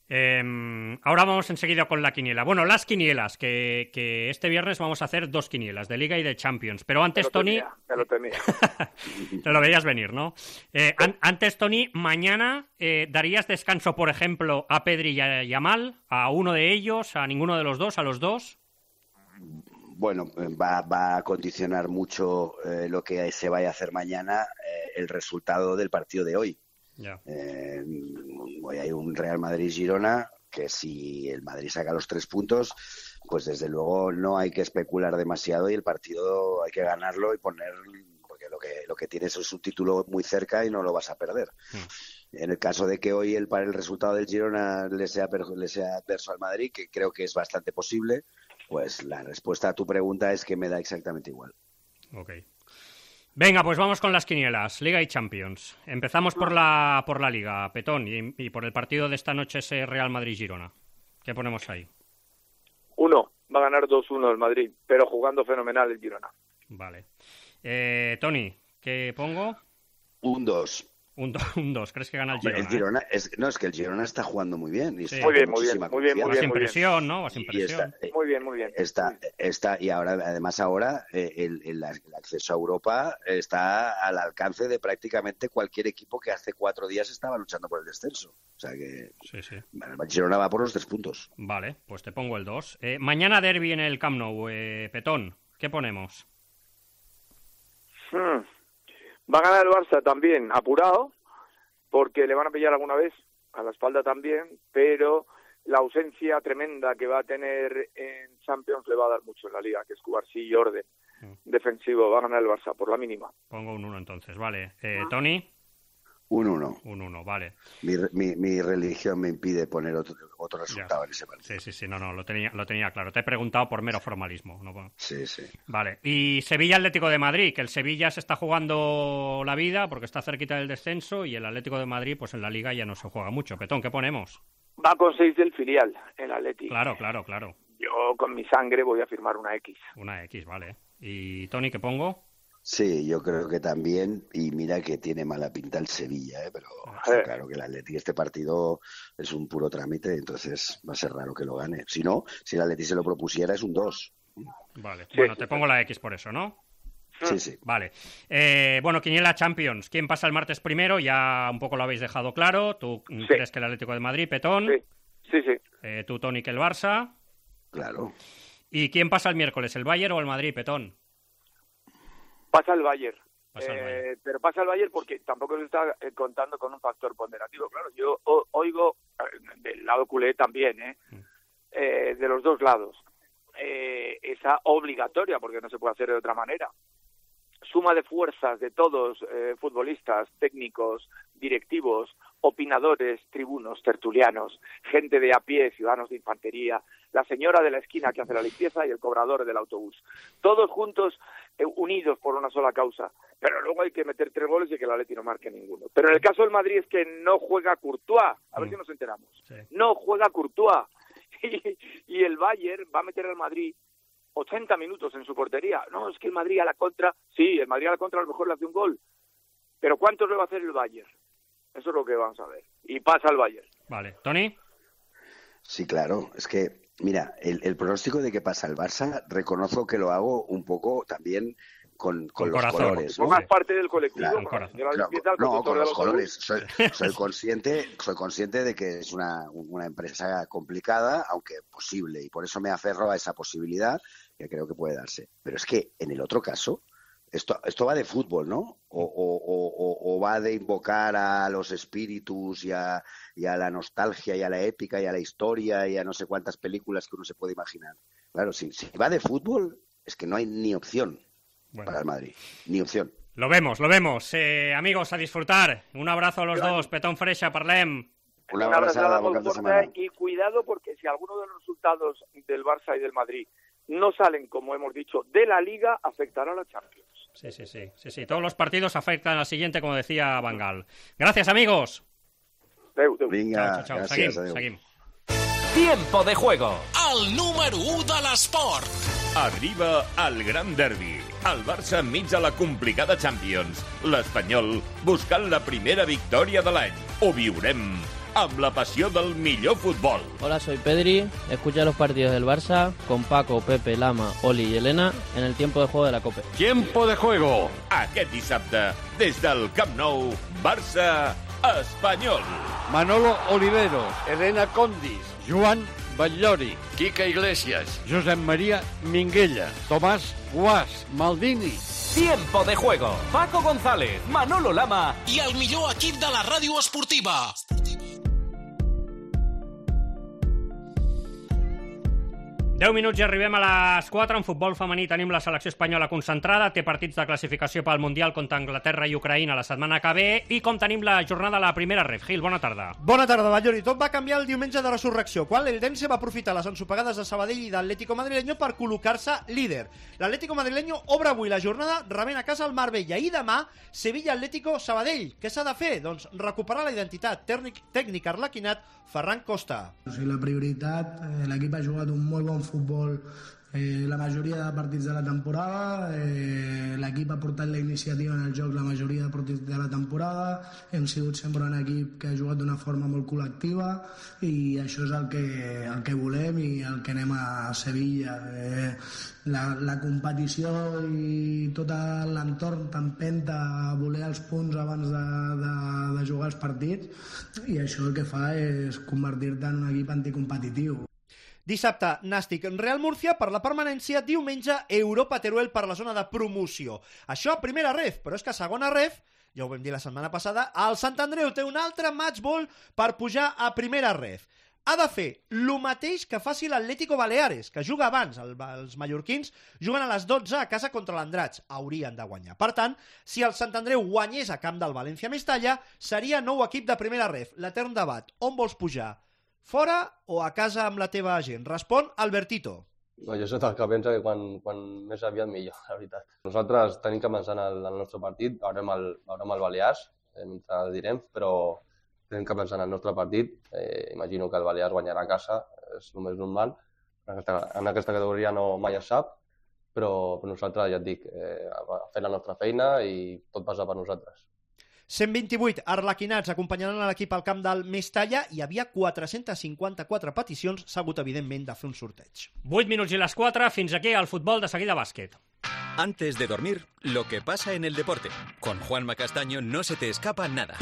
Eh, ahora vamos enseguida con la quiniela. Bueno, las quinielas, que, que este viernes vamos a hacer dos quinielas, de Liga y de Champions. Pero antes, Toni... Me lo temía. Te lo veías venir, ¿no? Eh, an antes, Toni, mañana eh, ¿darías descanso, por ejemplo, a Pedri y a Yamal? ¿A uno de ellos? ¿A ninguno de los dos? ¿A los dos? Bueno, va, va a condicionar mucho eh, lo que se vaya a hacer mañana, eh, el resultado del partido de hoy. Ya. Eh, hoy hay un Real Madrid-Girona que si el Madrid saca los tres puntos, pues desde luego no hay que especular demasiado y el partido hay que ganarlo y poner, porque lo que lo que tienes es un título muy cerca y no lo vas a perder. Mm. En el caso de que hoy el, para el resultado del Girona le sea, le sea adverso al Madrid, que creo que es bastante posible, pues la respuesta a tu pregunta es que me da exactamente igual. Okay. Venga, pues vamos con las quinielas, Liga y Champions. Empezamos por la por la Liga, Petón, y, y por el partido de esta noche, ese Real Madrid-Girona. ¿Qué ponemos ahí? Uno, va a ganar dos uno el Madrid, pero jugando fenomenal el Girona. Vale. Eh, Toni, ¿qué pongo? Un dos. Un dos, ¿crees que gana el Girona? El Girona eh? es, no, es que el Girona está jugando muy bien. Y sí. Muy bien, muy bien, muy bien, muy Vas bien. sin presión, ¿no? Vas sin Y presión. está, muy bien, muy bien. Está, está, y ahora, además ahora, eh, el, el, el acceso a Europa está al alcance de prácticamente cualquier equipo que hace cuatro días estaba luchando por el descenso. O sea que sí, sí. el Girona va por los tres puntos. Vale, pues te pongo el dos. Eh, mañana derbi en el Camp Nou, eh, Petón, ¿qué ponemos? Hmm. Va a ganar el Barça también, apurado, porque le van a pillar alguna vez a la espalda también, pero la ausencia tremenda que va a tener en Champions le va a dar mucho en la Liga, que es Cubarsí y orden defensivo. Va a ganar el Barça por la mínima. Pongo un uno entonces, vale. Eh, ¿Tony? Un uno. Un uno, vale. Mi, mi, mi religión me impide poner otro, otro resultado Ya. en ese partido. Sí, sí, sí, no, no, lo tenía, lo tenía claro. Te he preguntado por mero formalismo. ¿No? Sí, sí. Vale. Y Sevilla Atlético de Madrid, que el Sevilla se está jugando la vida porque está cerquita del descenso y el Atlético de Madrid, pues en la Liga ya no se juega mucho. Petón, ¿qué ponemos? Va con seis del filial, el Atleti. Claro, claro, claro. Yo con mi sangre voy a firmar una X. Una X, vale. ¿Y Tony, qué pongo? Sí, yo creo que también, y mira que tiene mala pinta el Sevilla, ¿eh? Pero está claro que el Atleti, este partido es un puro trámite, entonces va a ser raro que lo gane. Si no, si el Atleti se lo propusiera es un dos. Vale, Sí, bueno, sí, te pongo la X por eso, ¿no? Sí, sí. Vale. Eh, bueno, Quiniela Champions. ¿Quién pasa el martes primero? Ya un poco lo habéis dejado claro. ¿Tú Sí. crees que el Atlético de Madrid, Petón? Sí, sí. sí. Eh, ¿Tú, Tony, que el Barça? Claro. ¿Y quién pasa el miércoles, el Bayern o el Madrid, Petón? Pasa el Bayern. Pasa el Eh, Bayern. pero pasa el Bayern porque tampoco se está eh, contando con un factor ponderativo. Claro, yo o- oigo eh, del lado culé también, ¿eh? Eh, de los dos lados. Eh, esa obligatoria, porque no se puede hacer de otra manera. Suma de fuerzas de todos, eh, futbolistas, técnicos, directivos, opinadores, tribunos, tertulianos, gente de a pie, ciudadanos de infantería, la señora de la esquina que hace la limpieza y el cobrador del autobús. Todos juntos, eh, unidos por una sola causa. Pero luego hay que meter tres goles y que el Atleti no marque ninguno. Pero en el caso del Madrid es que no juega Courtois. A ver si nos enteramos. No juega Courtois. Y, y el Bayern va a meter al Madrid ochenta minutos en su portería. No, es que el Madrid a la contra, sí, el Madrid a la contra a lo mejor le hace un gol. Pero ¿cuántos le va a hacer el Bayern? Eso es lo que vamos a ver. Y pasa el Bayern. Vale. ¿Tony? Sí, claro. Es que, mira, el, el pronóstico de que pasa el Barça, reconozco que lo hago un poco también con, con, Con los corazón. colores, ¿no? Formas parte del colectivo. Claro, con la señora Claro, limpieza, el no, conductor con del los autobús. colores. Soy, soy consciente, soy consciente de que es una, una empresa complicada, aunque posible, y por eso me aferro a esa posibilidad que creo que puede darse. Pero es que en el otro caso, esto, esto va de fútbol, ¿no? O, o, o, o va de invocar a los espíritus y a, y a la nostalgia y a la épica y a la historia y a no sé cuántas películas que uno se puede imaginar. Claro, si, si va de fútbol, es que no hay ni opción. Bueno. Para el Madrid, ni opción. Lo vemos, lo vemos. Eh, amigos, a disfrutar. Un abrazo a los dos. Petón Freixa, parlem. Una Una abraçada abraçada, bon molt cap de forta setmana. y cuidado porque si alguno de los resultados del Barça y del Madrid no salen, como hemos dicho, de la Liga, afectará a la Champions. Sí, sí, sí, sí, sí. Todos los partidos afectan al siguiente, como decía Van Gaal. Gracias, amigos. Adéu, adéu. Vinga, Chao, chao, chao. gràcies, Seguim, adéu. seguim. Tiempo de juego. El número u de l'esport. Arriba el gran derbi. El Barça enmig de la complicada Champions. L'Espanyol buscant la primera victòria de l'any. Ho viurem amb la passió del millor futbol. Hola, soy Pedri. Escucha los partidos del Barça con Paco, Pepe, Lama, Oli y Elena en el tiempo de juego de la COPE. Tiempo de juego. Aquest dissabte, des del Camp Nou, Barça Espanyol. Manolo Oliveros, Elena Condis, Joan Batllori, Quique Iglesias, Josep María Minguella, Tomàs Guas, Maldini. Tiempo de juego. Paco González, Manolo Lama I el millor equip de la ràdio esportiva. deu minuts i arribem a les quatre. En futbol femení tenim la selecció espanyola concentrada, té partits de classificació pel Mundial contra Anglaterra i Ucraïna la setmana que ve, i com tenim la jornada a la primera ref. Gil, bona tarda. Bona tarda, Batllori. Tot va canviar el diumenge de resurrecció, quan l'Eldense va aprofitar les ensopegades de Sabadell i d'Atlético Madrileño per col·locar-se líder. L'Atlético Madrileño obre avui la jornada rebent a casa el Marbella, i demà Sevilla-Atlético Sabadell. Què s'ha de fer? Doncs recuperar la identitat tècnic, tècnic arlequinat Ferran Costa. O sigui, la prioritat, eh, l'equip ha jugat un molt bon futbol eh, la majoria de partits de la temporada, eh, l'equip ha portat la iniciativa en el joc la majoria de partits de la temporada, hem sigut sempre un equip que ha jugat d'una forma molt col·lectiva i això és el que, el que volem i el que anem a Sevilla. Eh, la, la competició i tot l'entorn t'empenta a voler els punts abans de, de, de jugar els partits i això el que fa és convertir-te en un equip anticompetitiu. Dissabte, Nàstic Real Murcia per la permanència, diumenge Europa Teruel per la zona de promoció. Això a primera ref, però és que a segona ref, ja ho vam dir la setmana passada, el Sant Andreu té un altre match ball per pujar a primera ref. Ha de fer el mateix que faci l'Atlético Baleares, que juga abans. El, els mallorquins juguen a les dotze a casa contra l'Andratx. Haurien de guanyar. Per tant, si el Sant Andreu guanyés a camp del València Mestalla, seria nou equip de primera ref. L'etern debat, on vols pujar? Fora o a casa amb la teva gent? Respon Albertito. No, jo soc el que pensa que quan, quan més aviat millor, la veritat. Nosaltres tenim que pensar en el, en el nostre partit, veurem el, veurem el Balears, eh, mentre el direm, però tenim que pensar en el nostre partit. Eh, imagino que el Balears guanyarà a casa, és el més normal. En aquesta, en aquesta categoria no mai es sap, però, però nosaltres, ja et dic, eh, fent la nostra feina i tot passa per nosaltres. cent vint-i-vuit arlequinats acompanyaran a l'equip al camp del Mestalla. Hi havia quatre-centes cinquanta-quatre peticions. S'ha hagut, evidentment, de fer un sorteig. vuit minuts i les quatre. Fins aquí el futbol, de seguida bàsquet. Antes de dormir, lo que pasa en el deporte. Con Juanma Castaño no se te escapa nada.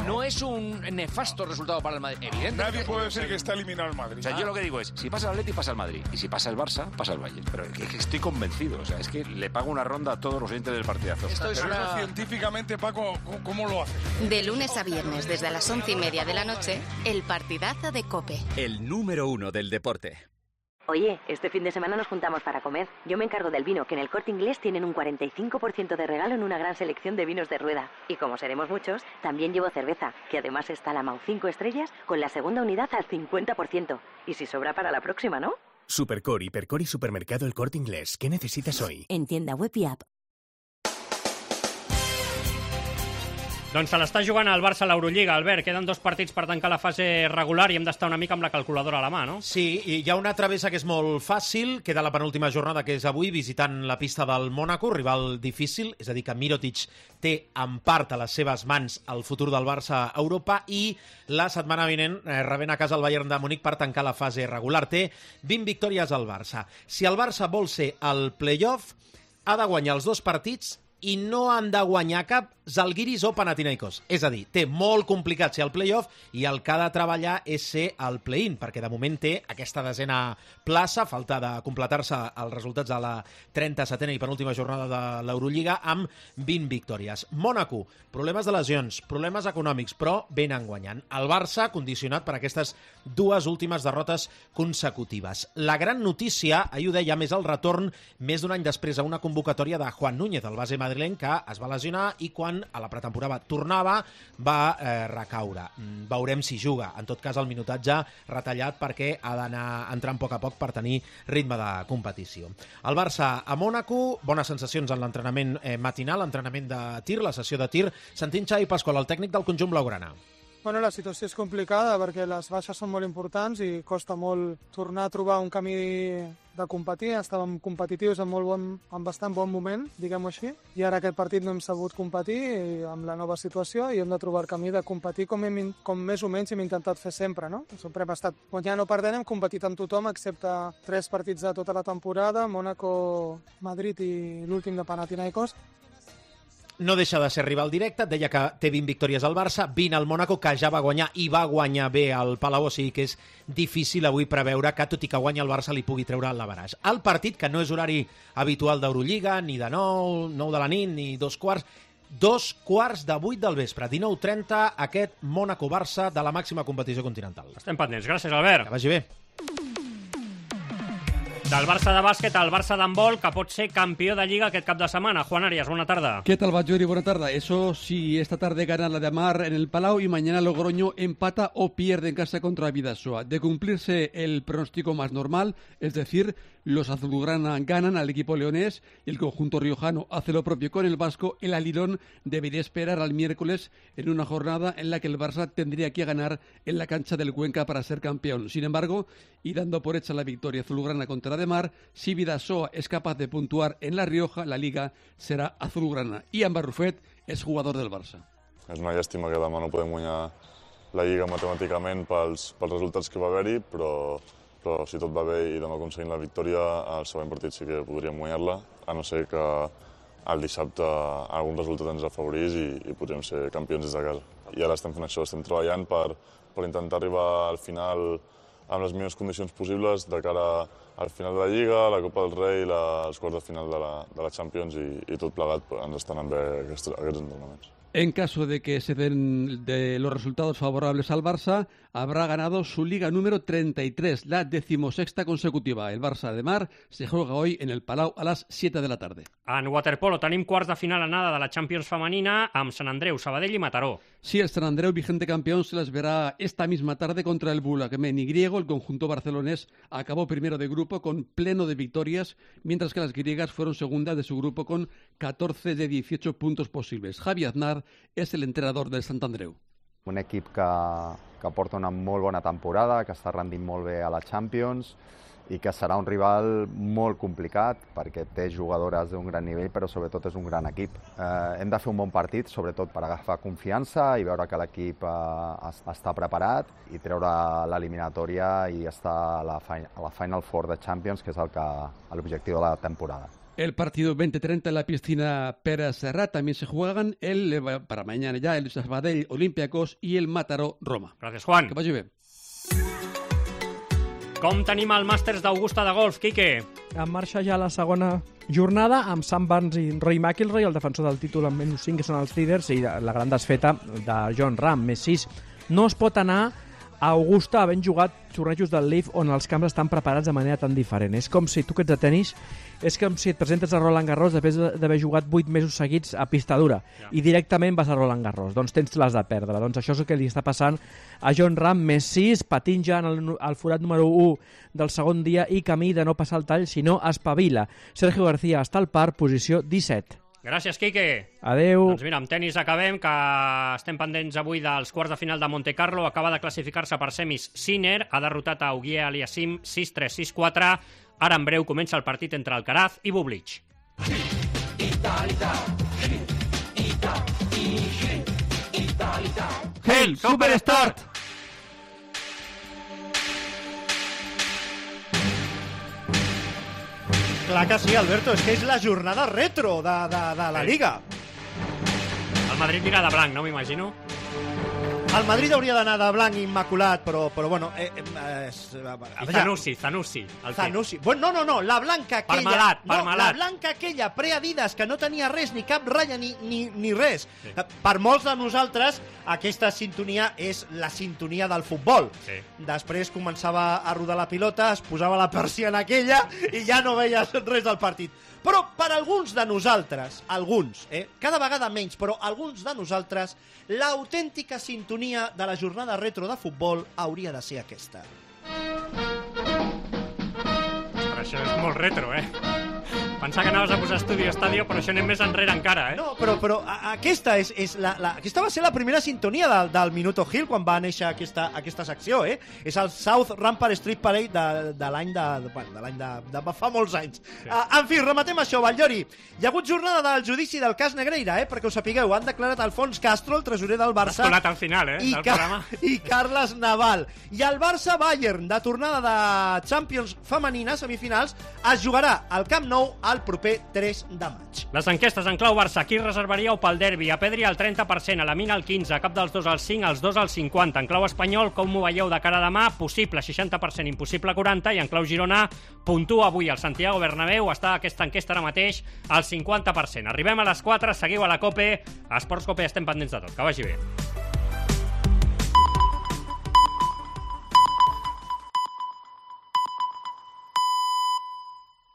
No es un nefasto resultado para el Madrid, evidente. Nadie puede decir que está eliminado el Madrid. O sea, yo lo que digo es, si pasa el Atleti, pasa el Madrid. Y si pasa el Barça, pasa el Bayern. Pero es que estoy convencido. O sea, es que le pago una ronda a todos los oyentes del partidazo. Esto es una... científicamente, Paco, ¿cómo lo haces? De lunes a viernes, desde las once y media de la noche, el partidazo de COPE. El número uno del deporte. Oye, este fin de semana nos juntamos para comer. Yo me encargo del vino, que en el Corte Inglés tienen un cuarenta y cinco por ciento de regalo en una gran selección de vinos de rueda. Y como seremos muchos, también llevo cerveza, que además está la Mau cinco estrellas, con la segunda unidad al cincuenta por ciento. Y si sobra para la próxima, ¿no? Supercore, Hipercore y Supermercado El Corte Inglés. ¿Qué necesitas hoy? En tienda web y app. Doncs se l'està jugant el Barça a l'Eurolliga, Albert. Queden dos partits per tancar la fase regular i hem d'estar una mica amb la calculadora a la mà, no? Sí, i hi ha una travessa que és molt fàcil. Queda la penúltima jornada, que és avui, visitant la pista del Mònaco, rival difícil, és a dir, que Mirotic té en part a les seves mans el futur del Barça a Europa, i la setmana vinent eh, rebent a casa el Bayern de Múnich per tancar la fase regular. Té vint victòries al Barça. Si el Barça vol ser al play-off, ha de guanyar els dos partits i no han de guanyar cap Zalgiris o Panathinaikos. És a dir, té molt complicat ser al play-off i el que ha de treballar és ser al play-in, perquè de moment té aquesta desena plaça, falta de completar-se els resultats de la trenta-setena i penúltima jornada de l'Eurolliga amb vint victòries. Mònaco, problemes de lesions, problemes econòmics, però venen guanyant. El Barça condicionat per aquestes dues últimes derrotes consecutives. La gran notícia, ahir ho deia, més el retorn més d'un any després a una convocatòria de Juan Núñez, el base madrileny, que es va lesionar i quan a la pretemporada tornava va eh, recaure. Mm, veurem si juga. En tot cas, el minutatge retallat perquè ha d'anar entrant a poc a poc per tenir ritme de competició. El Barça a Mònaco, bones sensacions en l'entrenament eh, matinal, l'entrenament de tir, la sessió de tir. Sentim Xavi Pasqual, el tècnic del conjunt blaugrana. Bueno, la situació és complicada perquè les baixes són molt importants i costa molt tornar a trobar un camí de competir. Estàvem competitius en, molt bon, en bastant bon moment, diguem-ho així, i ara aquest partit no hem sabut competir amb la nova situació i hem de trobar el camí de competir com, hem, com més o menys hem intentat fer sempre, no? Sempre hem estat guanyant o perdent, hem competit amb tothom excepte tres partits de tota la temporada, Mònaco, Madrid i l'últim de Panathinaikos. No deixa de ser rival directe, deia que té vint victòries al Barça, vint al Mònaco, que ja va guanyar i va guanyar bé al Palau, o sigui que és difícil avui preveure que, tot i que guanya el Barça, li pugui treure l'averaç. El partit, que no és horari habitual d'Eurolliga, ni de nou, nou de la nit, ni dos quarts, dos quarts de vuit del vespre, dinou trenta, aquest Mònaco-Barça de la màxima competició continental. Estem pendents. Gràcies, Albert. Que vagi bé. Del Barça de bàsquet al Barça d'handbol, que pot ser campió de Lliga aquest cap de setmana. Juan Arias, buena tarde. ¿Qué tal, Bajuri? Buena tarde. Eso sí, esta tarde gana la de Amar en el Palau y mañana Logroño empata o pierde en casa contra Bidasoa. De cumplirse el pronóstico más normal, es decir, los azulgrana ganan al equipo leonés y el conjunto riojano hace lo propio con el vasco, el alirón debería esperar al miércoles en una jornada en la que el Barça tendría que ganar en la cancha del Cuenca para ser campeón. Sin embargo, y dando por hecha la victoria azulgrana contra de Mar, si Bidasoa es capaz de puntuar en La Rioja, la Liga serà azulgrana. Ian Barrufet és jugador del Barça. És una llàstima que demà no podem guanyar la Lliga matemàticament pels, pels resultats que va haver-hi, però, però si tot va bé i demà aconseguim la victòria, al següent partit sí que podríem guanyar-la, a no ser que el dissabte algun resultat ens afavorís i, i podríem ser campions des de casa. I ara estem fent això, estem treballant per, per intentar arribar al final amb les millors condicions possibles de cara al final de la Lliga, la Copa del Rei, la, els quarts de final de la, de la Champions i, i tot plegat ens estan anant bé aquests, aquests entrenaments. En caso de que se den de los resultados favorables al Barça, habrá ganado su liga número treinta y tres, la decimosexta consecutiva. El Barça de Mar se juega hoy en el Palau a las siete de la tarde. En waterpolo tenim quarts de final anada de la Champions femenina amb Sant Andreu, Sabadell i Mataró. Sí, el San Andreu, vigente campeón, se les verá esta misma tarde contra el Bulacmeni griego. El conjunto barcelonés acabó primero de grupo con pleno de victorias, mientras que las griegas fueron segundas de su grupo con catorze de dieciocho puntos posibles. Javi Aznar és el entrenador del Sant Andreu. Un equip que, que porta una molt bona temporada, que està rendint molt bé a la Champions i que serà un rival molt complicat perquè té jugadores d'un gran nivell, però sobretot és un gran equip. Eh, hem de fer un bon partit, sobretot per agafar confiança i veure que l'equip eh, està preparat i treure l'eliminatòria i estar a la, a la Final Four de Champions, que és el que, l'objectiu de la temporada. El partido veinte treinta en la piscina Pera Serrat también se juegan el, para mañana ya el Sabadell Olympiacos y el Mataró Roma. Gracias, Juan. Que vagi bé. Com tenim el Màsters d'Augusta de golf, Quique? En marxa ja la segona jornada amb Sam Burns i Rory McIlroy, el defensor del títol amb menys cinc, que són els líders, i la gran desfeta de Jon Rahm, més sis. No es pot anar a Augusta havent jugat tornejos del Leaf on els camps estan preparats de manera tan diferent. És com si tu que ets de tenis, és com si et presentes a Roland Garros després d'haver jugat vuit mesos seguits a pista dura ja. I directament vas a Roland Garros. Doncs tens les de perdre. Doncs això és el que li està passant a Jon Rahm, més sis, patint ja en el, el forat número u del segon dia i camí de no passar el tall, sinó espavila. Sergio García està al par, posició disset. Gràcies, Quique. Adeu. Doncs mira, amb tenis acabem, que estem pendents avui dels quarts de final de Monte Carlo. Acaba de classificar-se per semis Sinner, ha derrotat a Uguier Aliassime sis tres sis quatre. Ara en breu comença el partit entre Alcaraz i Bublik. El Superstart! Clar que sí, Alberto, és que és la jornada retro de, de, de la Liga. El Madrid mira de blanc, no m'imagino? El Madrid hauria d'anar de blanc immaculat, però, però bueno... Eh, eh, I Zanussi, Zanussi. Zanussi. Bueno, no, no, no, la blanca aquella... Parmalat, no, Parmalat. La blanca aquella pre-Adidas, que no tenia res, ni cap ratlla, ni, ni, ni res. Sí. Per molts de nosaltres, aquesta sintonia és la sintonia del futbol. Sí. Després començava a rodar la pilota, es posava la persiana aquella i ja no veies res del partit. Però per alguns de nosaltres, alguns, eh, cada vegada menys, però alguns de nosaltres, l'autèntica sintonia de la jornada retro de futbol hauria de ser aquesta. Però això és molt retro, eh? Pensava que anaves a posar Studio Estadio, però això anem més enrere encara, eh? No, però, però a, aquesta és, és la, la, aquesta va ser la primera sintonia del, del Minuto Gil quan va néixer aquesta, aquesta secció, eh? És el South Rampart Street Parade de, de l'any de, de, bueno, de, l'any de, de fa molts anys. Sí. Uh, en fi, rematem això, Batllori. Hi ha hagut jornada del judici del cas Negreira, eh? Perquè ho sapigueu, han declarat Alfons Castro, el tresorer del Barça. T'has colat al final, eh? I, del programa. I Carles Naval. I el Barça-Bayern, de tornada de Champions femenina, semifinals, es jugarà al Camp Nou el proper tres de maig. Les enquestes en clau Barça, qui reservaríeu pel derbi? A Pedri al trenta per cent, a la Mina al quinze, a cap dels dos al cinc, als dos al cinquanta. En clau espanyol, com ho veieu de cara a demà? Possible seixanta per cent, impossible quaranta, i en clau Girona, puntua avui al Santiago Bernabéu, està aquesta enquesta ara mateix al cinquanta per cent. Arribem a les quatre, seguiu a la COPE, a Esports COPE estem pendents de tot. Que vagi bé.